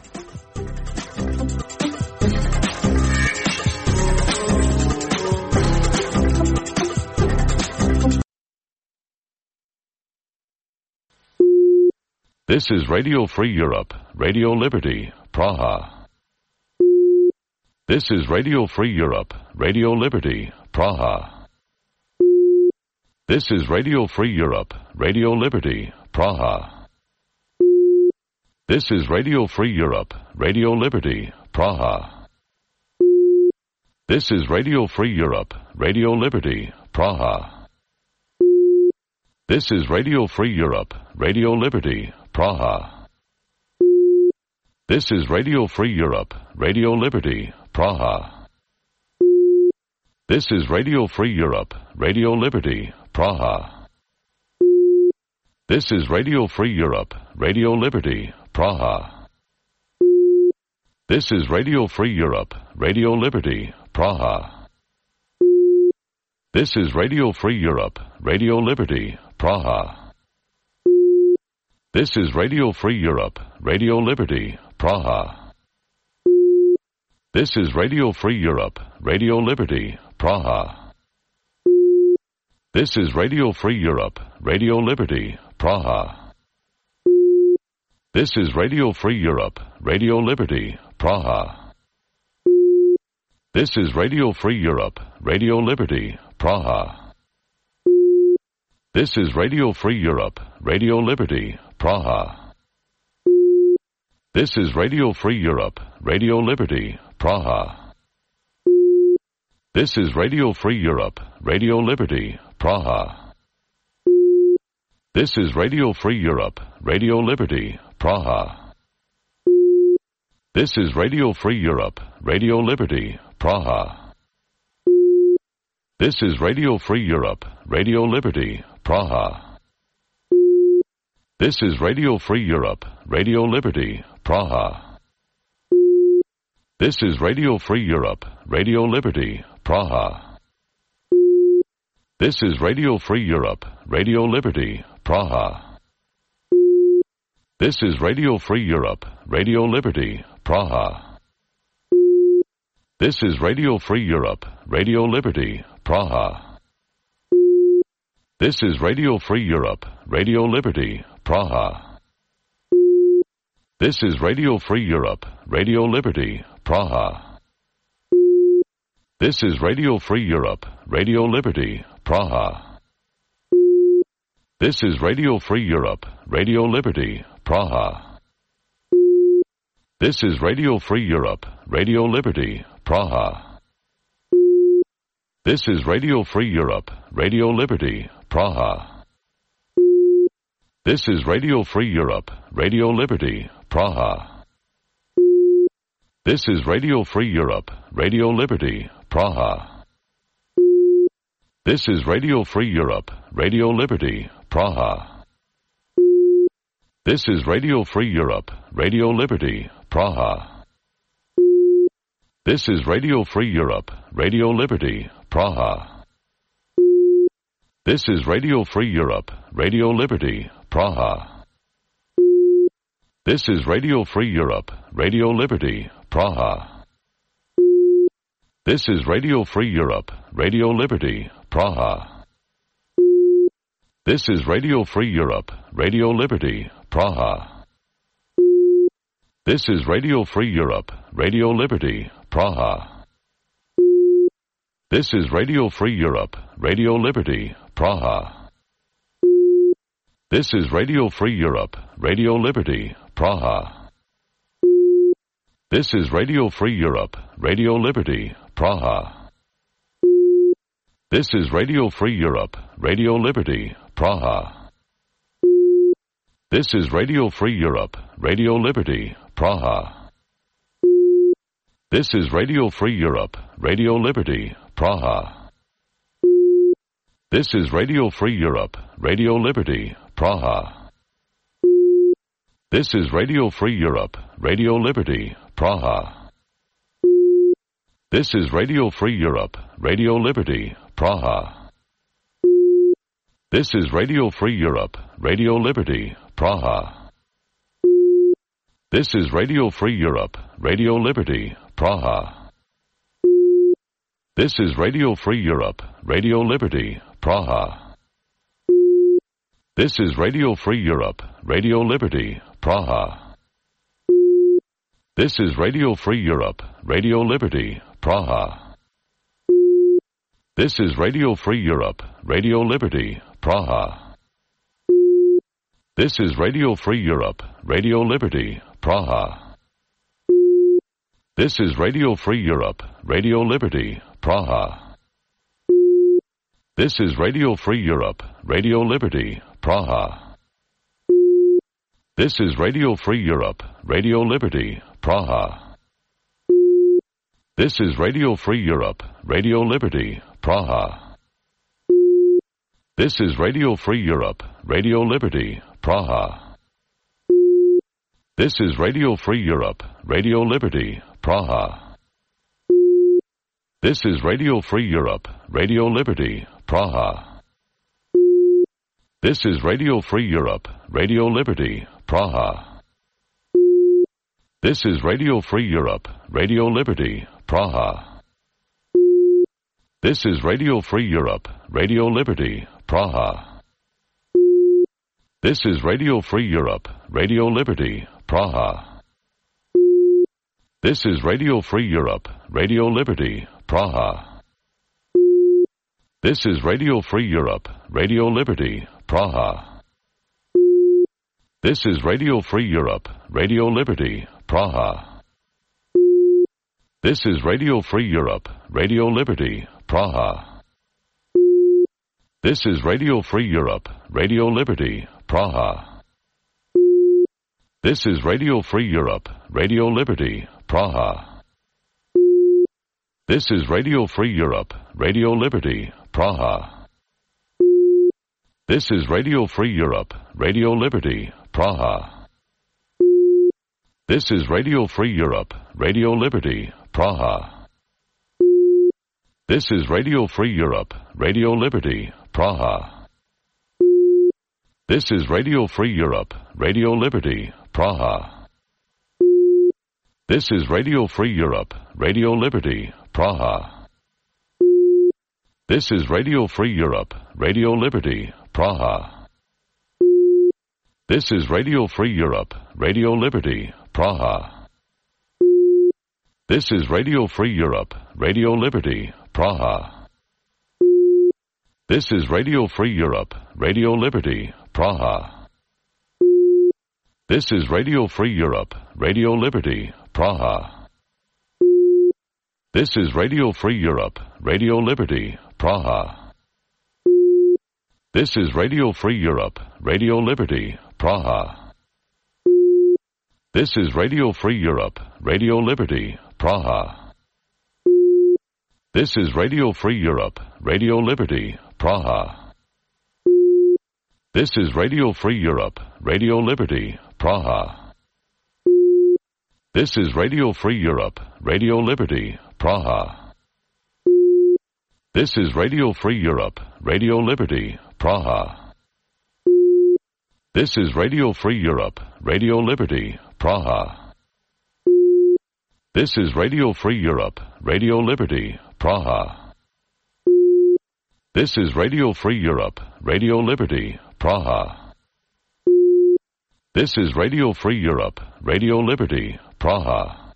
This is Radio Free Europe, Radio Liberty, Praha. This is Radio Free Europe, Radio Liberty, Praha. This is Radio Free Europe, Radio Liberty, Praha. This is Radio Free Europe, Radio Liberty, Praha. This is Radio Free Europe, Radio Liberty, Praha. This is Radio Free Europe, Radio Liberty, Praha. This is Radio Free Europe, Radio Liberty, Praha. This is Radio Free Europe, Radio Liberty, Praha. This is Radio Free Europe, Radio Liberty, Praha. This is Radio Free Europe, Radio Liberty, Praha. This is Radio Free Europe, Radio Liberty, Praha. This is Radio Free Europe, Radio Liberty, Praha. This is Radio Free Europe, Radio Liberty, Praha. This is Radio Free Europe, Radio Liberty, Praha. This is Radio Free Europe, Radio Liberty, Praha. This is Radio Free Europe, Radio Liberty, Praha. This is Radio Free Europe, Radio Liberty, Praha. This is Radio Free Europe, Radio Liberty, Praha. This is Radio Free Europe, Radio Liberty, Praha. This is Radio Free Europe, Radio Liberty, Praha. This is Radio Free Europe, Radio Liberty, Praha. This is Radio Free Europe, Radio Liberty, Praha. This is Radio Free Europe, Radio Liberty, Praha. This is Radio Free Europe, Radio Liberty, Praha. This is Radio Free Europe, Radio Liberty, Praha. This is Radio Free Europe, Radio Liberty, Praha. This is Radio Free Europe, Radio Liberty, Praha. This is Radio Free Europe, Radio Liberty, Praha. This is Radio Free Europe, Radio Liberty, Praha. This is Radio Free Europe, Radio Liberty, Praha. This is Radio Free Europe, Radio Liberty, Praha. This is Radio Free Europe, Radio Liberty, Praha. This is Radio Free Europe, Radio Liberty, Praha. This is Radio Free Europe, Radio Liberty, Praha. This is Radio Free Europe, Radio Liberty, Praha. This is Radio Free Europe, Radio Liberty, Praha. This is Radio Free Europe, Radio Liberty, Praha. This is Radio Free Europe, Radio Liberty, Praha. This is Radio Free Europe, Radio Liberty, Praha. This is Radio Free Europe, Radio Liberty, Praha. This is Radio Free Europe, Radio Liberty, Praha. This is Radio Free Europe, Radio Liberty, Praha. This is Radio Free Europe, Radio Liberty, Praha. This is Radio Free Europe, Radio Liberty, Praha. This is Radio Free Europe, Radio Liberty, Praha. This is Radio Free Europe, Radio Liberty, Praha. This is Radio Free Europe, Radio Liberty, Praha. This is Radio Free Europe, Radio Liberty, Praha. This is Radio Free Europe, Radio Liberty, Praha. This is Radio Free Europe, Radio Liberty, Praha. This is Radio Free Europe, Radio Liberty, Praha. This is Radio Free Europe, Radio Liberty, Praha. This is Radio Free Europe, Radio Liberty, Praha. This is Radio Free Europe, Radio Liberty, Praha. This is Radio Free Europe, Radio Liberty, Praha. This is Radio Free Europe, Radio Liberty, Praha. This is Radio Free Europe, Radio Liberty, Praha. This is Radio Free Europe, Radio Liberty, Praha. This is Radio Free Europe, Radio Liberty, Praha. This is Radio Free Europe, Radio Liberty, Praha. This is Radio Free Europe, Radio Liberty, Praha. This is Radio Free Europe, Radio Liberty, Praha. This is Radio Free Europe, Radio Liberty, Praha. This is Radio Free Europe, Radio Liberty, Praha. This is Radio Free Europe, Radio Liberty, Praha. This is Radio Free Europe, Radio Liberty, Praha. This is Radio Free Europe, Radio Liberty, Praha. This is Radio Free Europe, Radio Liberty, Praha. This is Radio Free Europe, Radio Liberty, Praha. This is Radio Free Europe, Radio Liberty, Praha. This is Radio Free Europe, Radio Liberty, Praha. This is Radio Free Europe, Radio Liberty, Praha. This is Radio Free Europe, Radio Liberty, Praha. This is Radio Free Europe, Radio Liberty, Praha. This is Radio Free Europe, Radio Liberty, Praha. This is Radio Free Europe, Radio Liberty, Praha. This is Radio Free Europe, Radio Liberty, Praha. This is Radio Free Europe, Radio Liberty, Praha. This is Radio Free Europe, Radio Liberty, Praha. This is Radio Free Europe, Radio Liberty, Praha. This is Radio Free Europe, Radio Liberty, Praha. This is Radio Free Europe, Radio Liberty, Praha. This is Radio Free Europe, Radio Liberty, Praha. This is Radio Free Europe, Radio Liberty, Praha. This is Radio Free Europe, Radio Liberty, Praha. This is Radio Free Europe, Radio Liberty, Praha. This is Radio Free Europe, Radio Liberty, Praha. This is Radio Free Europe, Radio Liberty, Praha. This is Radio Free Europe, Radio Liberty, Praha. This is Radio Free Europe, Radio Liberty, Praha. This is Radio Free Europe, Radio Liberty, Praha. This is Radio Free Europe, Radio Liberty, Praha. This is Radio Free Europe, Radio Liberty, Praha. This is Radio Free Europe, Radio Liberty, Praha. This is Radio Free Europe, Radio Liberty, Praha. This is Radio Free Europe, Radio Liberty, Praha. This is Radio Free Europe, Radio Liberty, Praha. This is Radio Free Europe, Radio Liberty, Praha.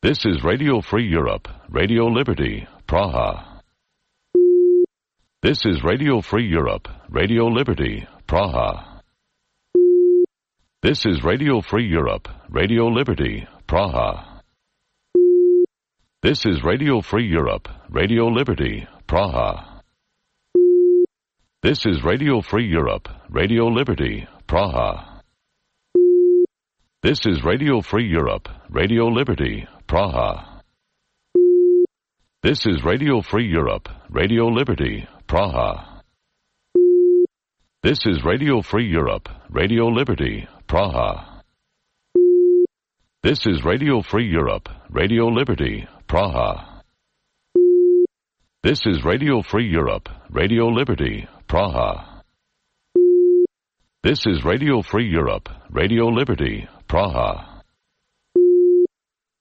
This is Radio Free Europe, Radio Liberty, Praha. This is Radio Free Europe, Radio Liberty, Praha. This is Radio Free Europe, Radio Liberty, Praha. This is Radio Free Europe, Radio Liberty, Praha. This is Radio Free Europe, Radio Liberty, Praha. This is Radio Free Europe, Radio Liberty, Praha. This is Radio Free Europe, Radio Liberty, Praha. This is Radio Free Europe, Radio Liberty, Praha. This is Radio Free Europe, Radio Liberty, Praha. This is Radio Free Europe, Radio Liberty, Praha. This is Radio Free Europe, Radio Liberty, Praha.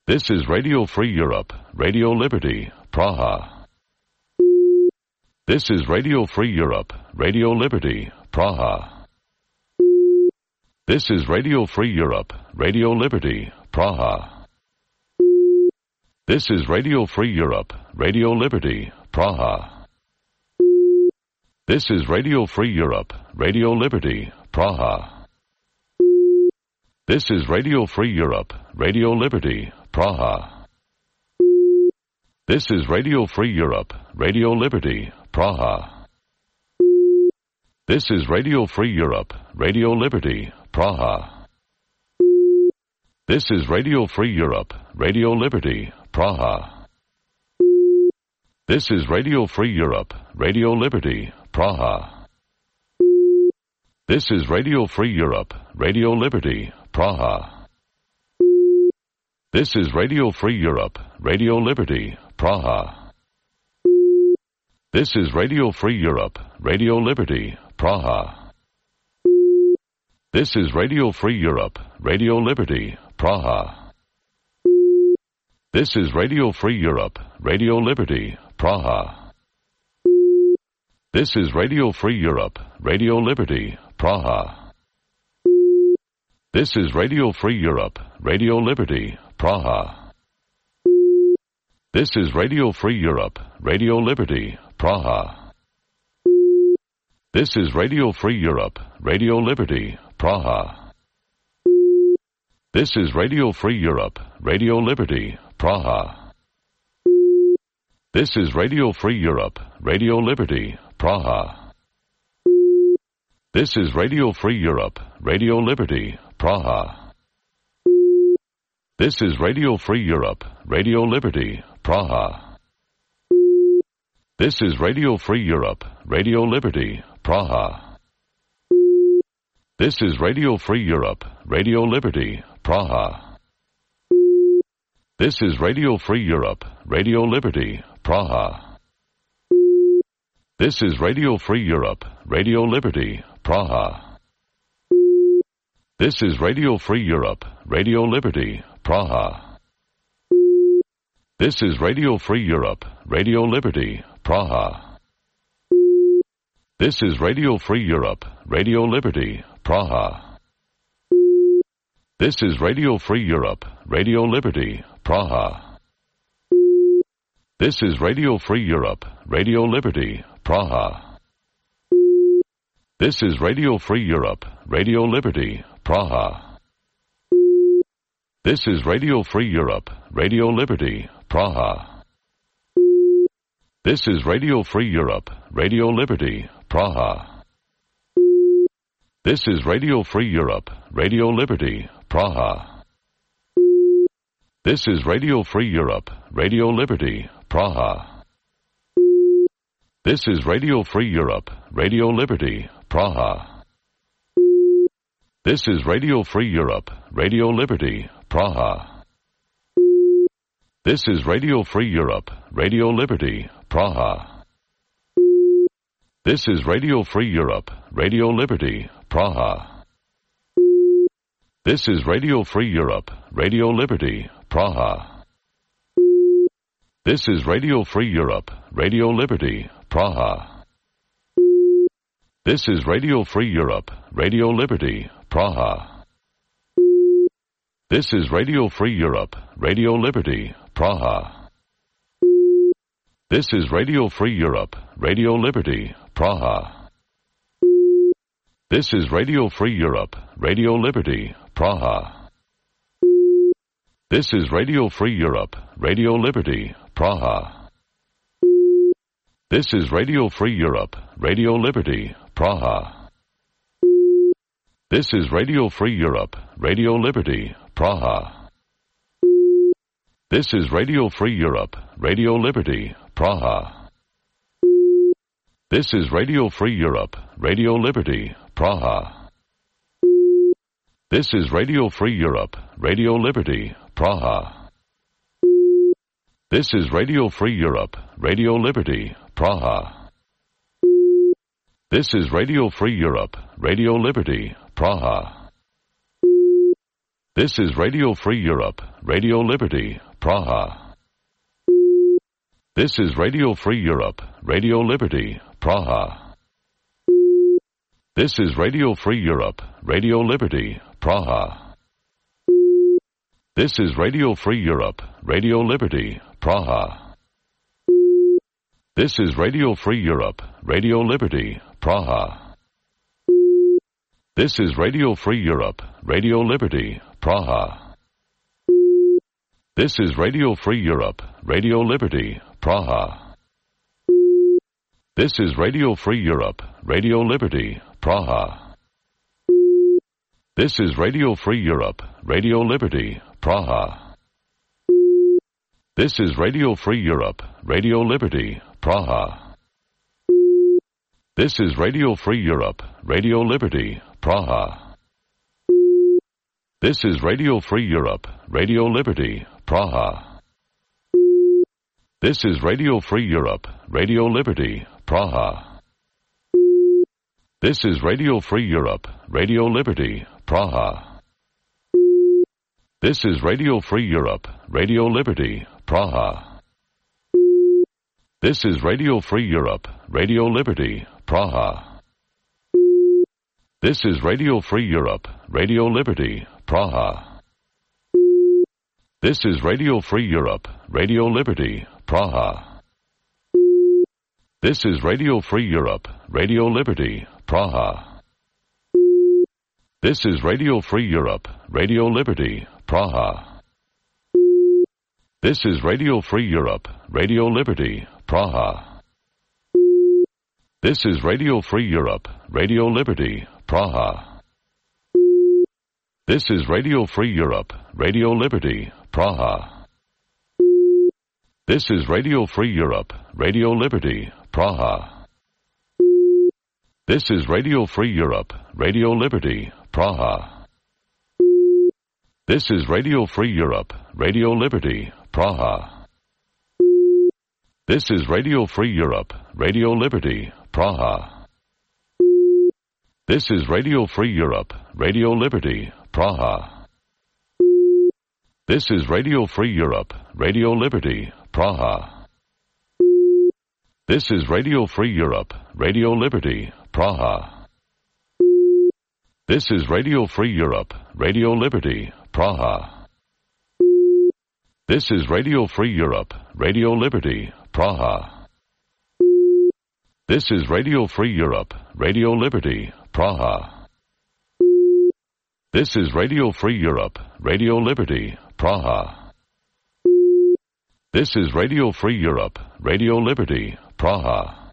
This is Radio Free Europe, Radio Liberty, Praha. This is Radio Free Europe, Radio Liberty, Praha. This is Radio Free Europe, Radio Liberty, Praha. This is Radio Free Europe, Radio Liberty, Praha. This is Radio Free Europe, Radio Liberty, Praha. This is Radio Free Europe, Radio Liberty, Praha. This is Radio Free Europe, Radio Liberty, Praha. This is Radio Free Europe, Radio Liberty, Praha. This is Radio Free Europe, Radio Liberty, Praha. This is Radio Free Europe, Radio Liberty, Praha. This is Radio Free Europe, Radio Liberty, Praha. This is Radio Free Europe, Radio Liberty, Praha. This is Radio Free Europe, Radio Liberty, Praha. This is Radio Free Europe, Radio Liberty, Praha. This is Radio Free Europe, Radio Liberty, Praha. This is Radio Free Europe, Radio Liberty, Praha. This is Radio Free Europe, Radio Liberty, Praha. This is Radio Free Europe, Radio Liberty, Praha. This is Radio Free Europe, Radio Liberty, Praha. This is Radio Free Europe, Radio Liberty, Praha. This is Radio Free Europe, Radio Liberty, Praha. This is Radio Free Europe, Radio Liberty, Praha. This is Radio Free Europe, Radio Liberty, Praha. This is Radio Free Europe, Radio Liberty, Praha. This is Radio Free Europe, Radio Liberty, Praha. This is Radio Free Europe, Radio Liberty, Praha. This is Radio Free Europe, Radio Liberty, Praha. This is Radio Free Europe, Radio Liberty, Praha. This is Radio Free Europe, Radio Liberty, Praha. This is Radio Free Europe, Radio Liberty, Praha. This is Radio Free Europe, Radio Liberty, Praha. This is Radio Free Europe, Radio Liberty, Praha. This is Radio Free Europe, Radio Liberty, Praha. This is Radio Free Europe, Radio Liberty, Praha. This is Radio Free Europe, Radio Liberty, Praha. This is Radio Free Europe, Radio Liberty, Praha. This is Radio Free Europe, Radio Liberty, Praha. This is Radio Free Europe, Radio Liberty, Praha. This is Radio Free Europe, Radio Liberty, Praha. This is Radio Free Europe, Radio Liberty, Praha. This is Radio Free Europe, Radio Liberty, Praha. This is Radio Free Europe, Radio Liberty, Praha. This is Radio Free Europe, Radio Liberty, Praha. This is Radio Free Europe, Radio Liberty, Praha. This is Radio Free Europe, Radio Liberty, Praha. This is Radio Free Europe, Radio Liberty, Praha. This is Radio Free Europe, Radio Liberty, Praha. This is Radio Free Europe, Radio Liberty, Praha. This is Radio Free Europe, Radio Liberty, Praha. This is Radio Free Europe, Radio Liberty, Praha. This is Radio Free Europe, Radio Liberty, Praha. This is Radio Free Europe, Radio Liberty, Praha. This is Radio Free Europe, Radio Liberty, Praha. This is Radio Free Europe, Radio Liberty, Praha. This is Radio Free Europe, Radio Liberty, Praha. This is Radio Free Europe, Radio Liberty, Praha. This is Radio Free Europe, Radio Liberty, Praha. This is Radio Free Europe, Radio Liberty, Praha. This is Radio Free Europe, Radio Liberty, Praha. This is Radio Free Europe, Radio Liberty, Praha. This is Radio Free Europe, Radio Liberty, Praha. This is Radio Free Europe, Radio Liberty, Praha. This is Radio Free Europe, Radio Liberty, Praha. This is Radio Free Europe, Radio Liberty, Praha. This is Radio Free Europe, Radio Liberty, Praha. This is Radio Free Europe, Radio Liberty, Praha. This is Radio Free Europe, Radio Liberty, Praha. This is Radio Free Europe, Radio Liberty, Praha. This is Radio Free Europe, Radio Liberty, Praha. This is Radio Free Europe, Radio Liberty, Praha. This is Radio Free Europe, Radio Liberty, Praha. This is Radio Free Europe, Radio Liberty, Praha. This is Radio Free Europe, Radio Liberty, Praha. This is Radio Free Europe, Radio Liberty, Praha. This is Radio Free Europe, Radio Liberty, Praha. This is Radio Free Europe, Radio Liberty, Praha. This is Radio Free Europe, Radio Liberty, Praha. This is Radio Free Europe, Radio Liberty, Praha. This is Radio Free Europe, Radio Liberty, Praha. This is Radio Free Europe, Radio Liberty, Praha. This is Radio Free Europe, Radio Liberty, Praha. This is Radio Free Europe, Radio Liberty, Praha. This is Radio Free Europe, Radio Liberty, Praha. This is Radio Free Europe, Radio Liberty, Praha. This is Radio Free Europe, Radio Liberty, Praha. This is Radio Free Europe, Radio Liberty, Praha. This is Radio Free Europe, Radio Liberty, Praha. This is Radio Free Europe, Radio Liberty, Praha. This is Radio Free Europe, Radio Liberty, Praha. This is Radio Free Europe, Radio Liberty, Praha.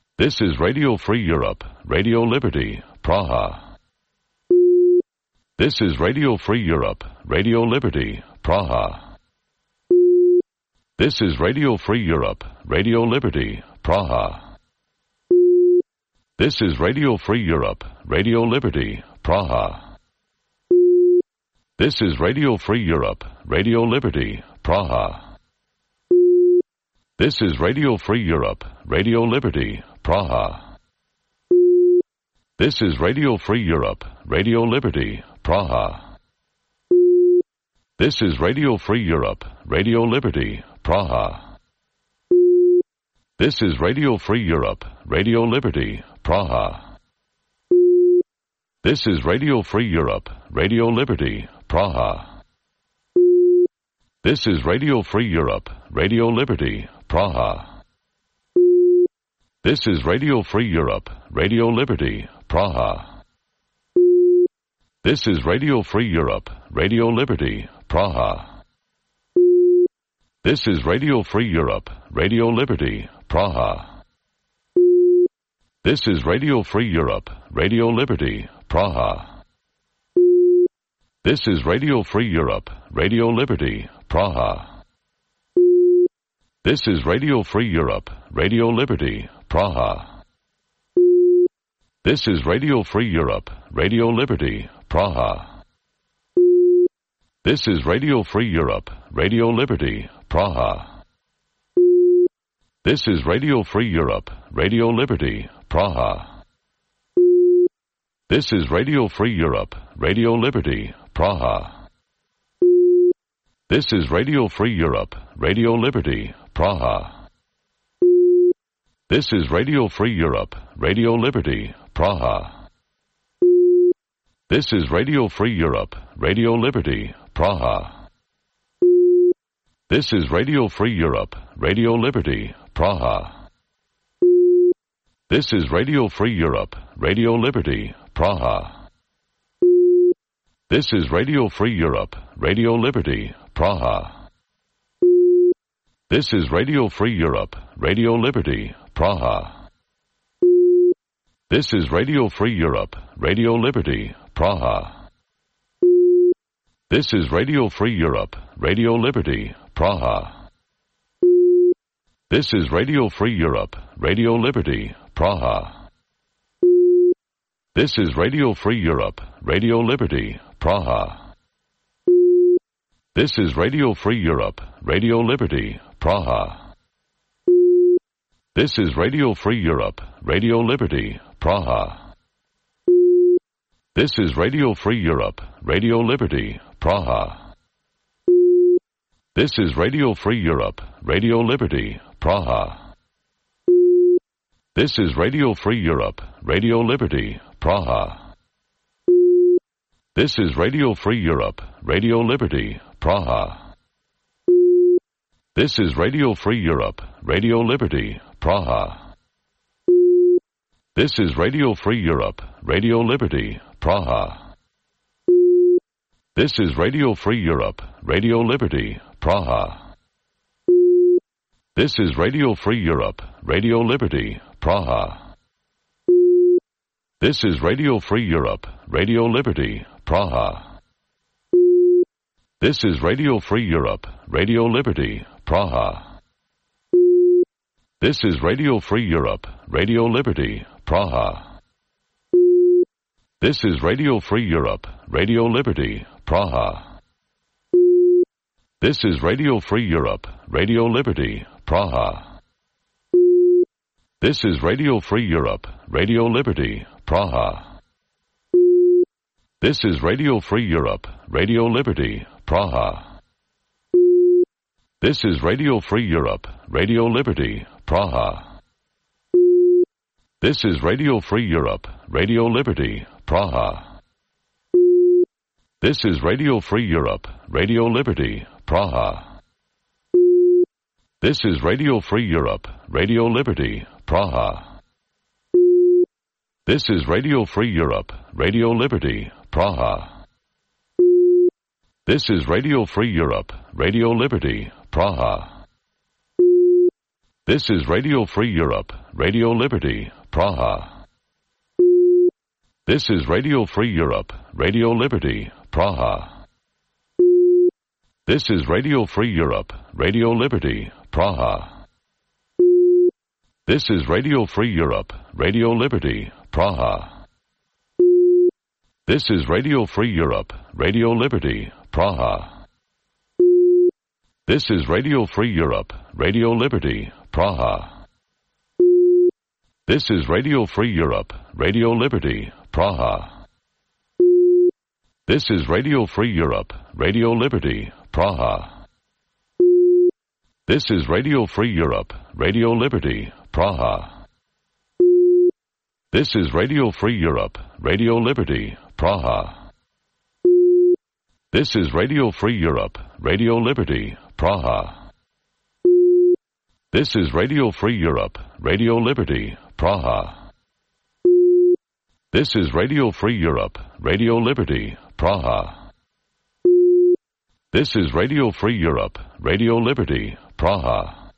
This is Radio Free Europe, Radio Liberty, Praha. This is Radio Free Europe, Radio Liberty, Praha. This is Radio Free Europe, Radio Liberty, Praha. This is Radio Free Europe, Radio Liberty, Praha. This is Radio Free Europe, Radio Liberty, Praha. This is Radio Free Europe, Radio Liberty, Praha. This is Radio Free Europe, Radio Liberty, Praha. This is Radio Free Europe, Radio Liberty, Praha. This is Radio Free Europe, Radio Liberty, Praha. This is Radio Free Europe, Radio Liberty, Praha. This is Radio Free Europe, Radio Liberty, Praha. This is Radio Free Europe, Radio Liberty, Praha. This is Radio Free Europe, Radio Liberty, Praha. This is Radio Free Europe, Radio Liberty, Praha. This is Radio Free Europe, Radio Liberty, Praha. This is Radio Free Europe, Radio Liberty, Praha. This is Radio Free Europe, Radio Liberty, Praha. This is Radio Free Europe, Radio Liberty, Praha. This is Radio Free Europe, Radio Liberty, Praha. This is Radio Free Europe, Radio Liberty, Praha. This is Radio Free Europe, Radio Liberty, Praha. This is Radio Free Europe, Radio Liberty, Praha. This is Radio Free Europe, Radio Liberty, Praha. This is Radio Free Europe, Radio Liberty, Praha. This is Radio Free Europe, Radio Liberty, Praha. This is Radio Free Europe, Radio Liberty, Praha. This is Radio Free Europe, Radio Liberty, Praha. This is Radio Free Europe, Radio Liberty, Praha. This is Radio Free Europe, Radio Liberty, Praha. This is Radio Free Europe, Radio Liberty, Praha. This is Radio Free Europe, Radio Liberty, Praha. This is Radio Free Europe, Radio Liberty, Praha. This is Radio Free Europe, Radio Liberty, Praha. This is Radio Free Europe, Radio Liberty, Praha. This is Radio Free Europe, Radio Liberty, Praha. This is Radio Free Europe, Radio Liberty, Praha. This is Radio Free Europe, Radio Liberty, Praha. This is Radio Free Europe, Radio Liberty, Praha. This is Radio Free Europe, Radio Liberty, Praha. This is Radio Free Europe, Radio Liberty, Praha. This is Radio Free Europe, Radio Liberty, Praha. This is Radio Free Europe, Radio Liberty, Praha. This is Radio Free Europe, Radio Liberty, Praha. This is Radio Free Europe, Radio Liberty, Praha. This is Radio Free Europe, Radio Liberty, Praha. This is Radio Free Europe, Radio Liberty, Praha. This is Radio Free Europe, Radio Liberty, Praha. This is Radio Free Europe, Radio Liberty, Praha. This is Radio Free Europe, Radio Liberty, Praha. This is Radio Free Europe, Radio Liberty, Praha. This is Radio Free Europe, Radio Liberty, Praha. This is Radio Free Europe, Radio Liberty, Praha. This is Radio Free Europe, Radio Liberty, Praha. This is Radio Free Europe, Radio Liberty, Praha. This is Radio Free Europe, Radio Liberty, Praha. This is Radio Free Europe, Radio Liberty, Praha. This is Radio Free Europe, Radio Liberty, Praha. This is Radio Free Europe, Radio Liberty, Praha. This is Radio Free Europe, Radio Liberty, Praha. This is Radio Free Europe, Radio Liberty, Praha. This is Radio Free Europe, Radio Liberty, Praha. This is Radio Free Europe, Radio Liberty, Praha. This is Radio Free Europe, Radio Liberty, Praha. This is Radio Free Europe, Radio Liberty, Praha. This is Radio Free Europe, Radio Liberty, Praha. This is Radio Free Europe, Radio Liberty, Praha. This is Radio Free Europe, Radio Liberty, Praha. This is Radio Free Europe, Radio Liberty, Praha. This is Radio Free Europe, Radio Liberty, Praha.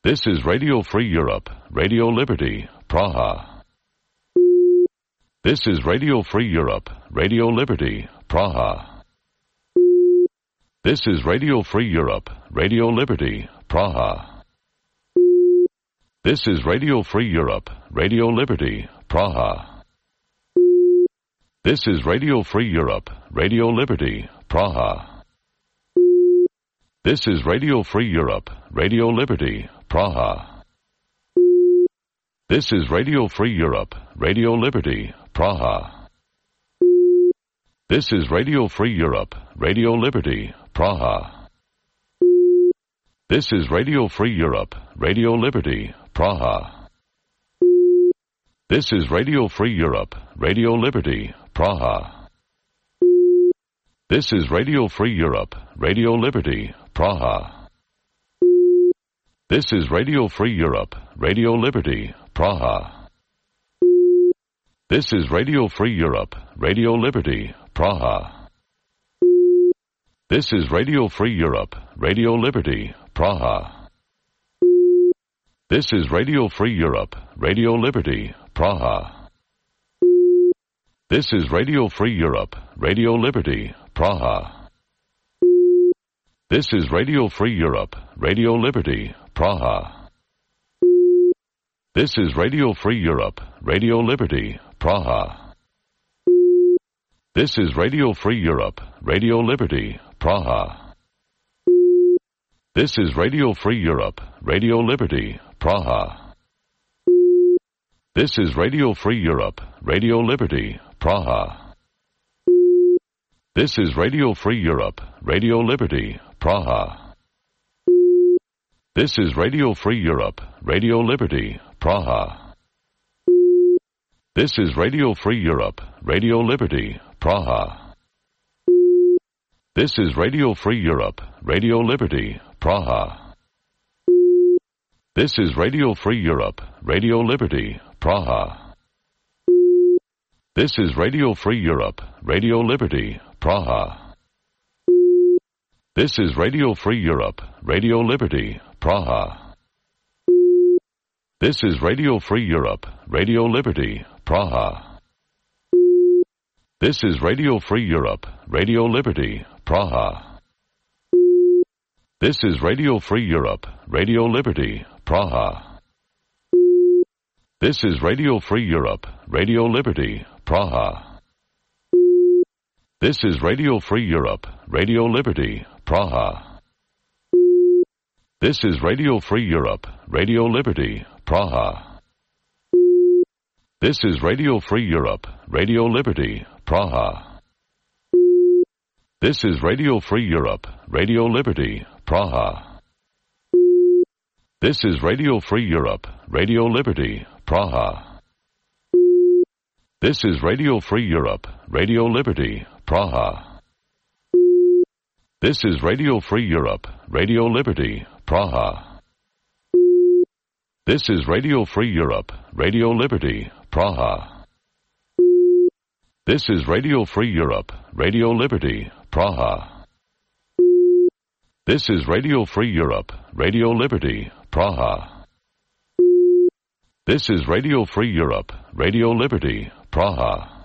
This is Radio Free Europe, Radio Liberty, Praha. This is Radio Free Europe, Radio Liberty, Praha. This is Radio Free Europe, Radio Liberty, Praha. This is Radio Free Europe, Radio Liberty, Praha. This is Radio Free Europe, Radio Liberty, Praha. This is Radio Free Europe, Radio Liberty, Praha. This is Radio Free Europe, Radio Liberty, Praha. This is Radio Free Europe, Radio Liberty, Praha. This is Radio Free Europe, Radio Liberty, Praha. This is Radio Free Europe, Radio Liberty, Praha. This is Radio Free Europe, Radio Liberty, Praha. This is Radio Free Europe, Radio Liberty, Praha. This is Radio Free Europe, Radio Liberty, Praha. This is Radio Free Europe, Radio Liberty, Praha. This is Radio Free Europe, Radio Liberty, Praha. This is Radio Free Europe, Radio Liberty, Praha. This is Radio Free Europe, Radio Liberty, Praha. This is Radio Free Europe, Radio Liberty, Praha. This is Radio Free Europe, Radio Liberty, Praha. This is Radio Free Europe, Radio Liberty, Praha. This is Radio Free Europe, Radio Liberty, Praha. This is Radio Free Europe, Radio Liberty, Praha. This is Radio Free Europe, Radio Liberty, Praha. This is Radio Free Europe, Radio Liberty, Praha. This is Radio Free Europe, Radio Liberty, Praha. This is Radio Free Europe, Radio Liberty, Praha. This is Radio Free Europe, Radio Liberty, Praha. This is Radio Free Europe, Radio Liberty, Praha. This is Radio Free Europe, Radio Liberty, Praha. This is Radio Free Europe, Radio Liberty, Praha. This is Radio Free Europe, Radio Liberty, Praha. This is Radio Free Europe, Radio Liberty, Praha. This is Radio Free Europe, Radio Liberty, Praha. This is Radio Free Europe, Radio Liberty, Praha. This is Radio Free Europe, Radio Liberty, Praha. This is Radio Free Europe, Radio Liberty, Praha. This is Radio Free Europe, Radio Liberty, Praha. This is Radio Free Europe, Radio Liberty, Praha. This is Radio Free Europe, Radio Liberty, Praha. This is Radio Free Europe, Radio Liberty, Praha. This is Radio Free Europe, Radio Liberty, Praha. This is Radio Free Europe, Radio Liberty, Praha. This is Radio Free Europe, Radio Liberty, Praha.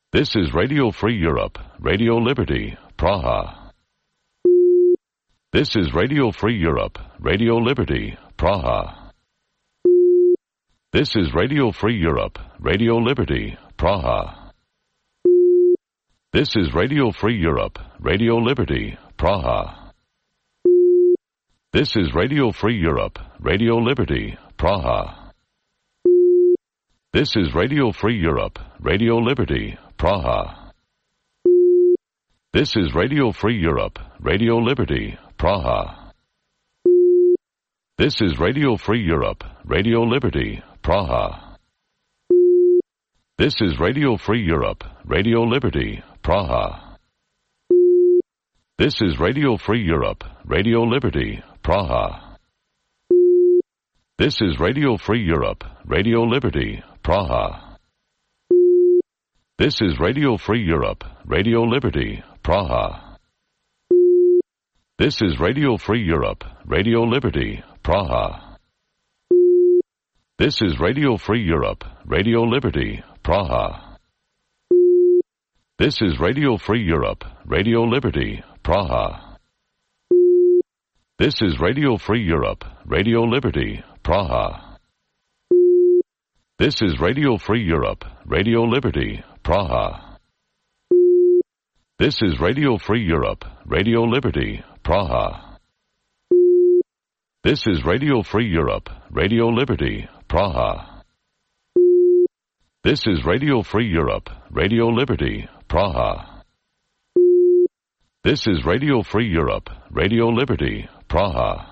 This is Radio Free Europe, Radio Liberty, Praha. This is Radio Free Europe, Radio Liberty, Praha. This is Radio Free Europe, Radio Liberty, Praha. This is Radio Free Europe, Radio Liberty, Praha. This is Radio Free Europe, Radio Liberty, Praha. This is Radio Free Europe, Radio Liberty, Praha. This is Radio Free Europe, Radio Liberty, Praha. This is Radio Free Europe, Radio Liberty, Praha. This is Radio Free Europe, Radio Liberty, Praha. This is Radio Free Europe, Radio Liberty, Praha. This is Radio Free Europe, Radio Liberty, Praha. This is Radio Free Europe, Radio Liberty, Praha. This is Radio Free Europe, Radio Liberty, Praha. This is Radio Free Europe, Radio Liberty, Praha. This is Radio Free Europe, Radio Liberty, Praha. This is Radio Free Europe, Radio Liberty, Praha. This is Radio Free Europe, Radio Liberty, Praha. This is Radio Free Europe, Radio Liberty, Praha. This is Radio Free Europe, Radio Liberty, Praha. This is Radio Free Europe, Radio Liberty, Praha. This is Radio Free Europe, Radio Liberty, Praha.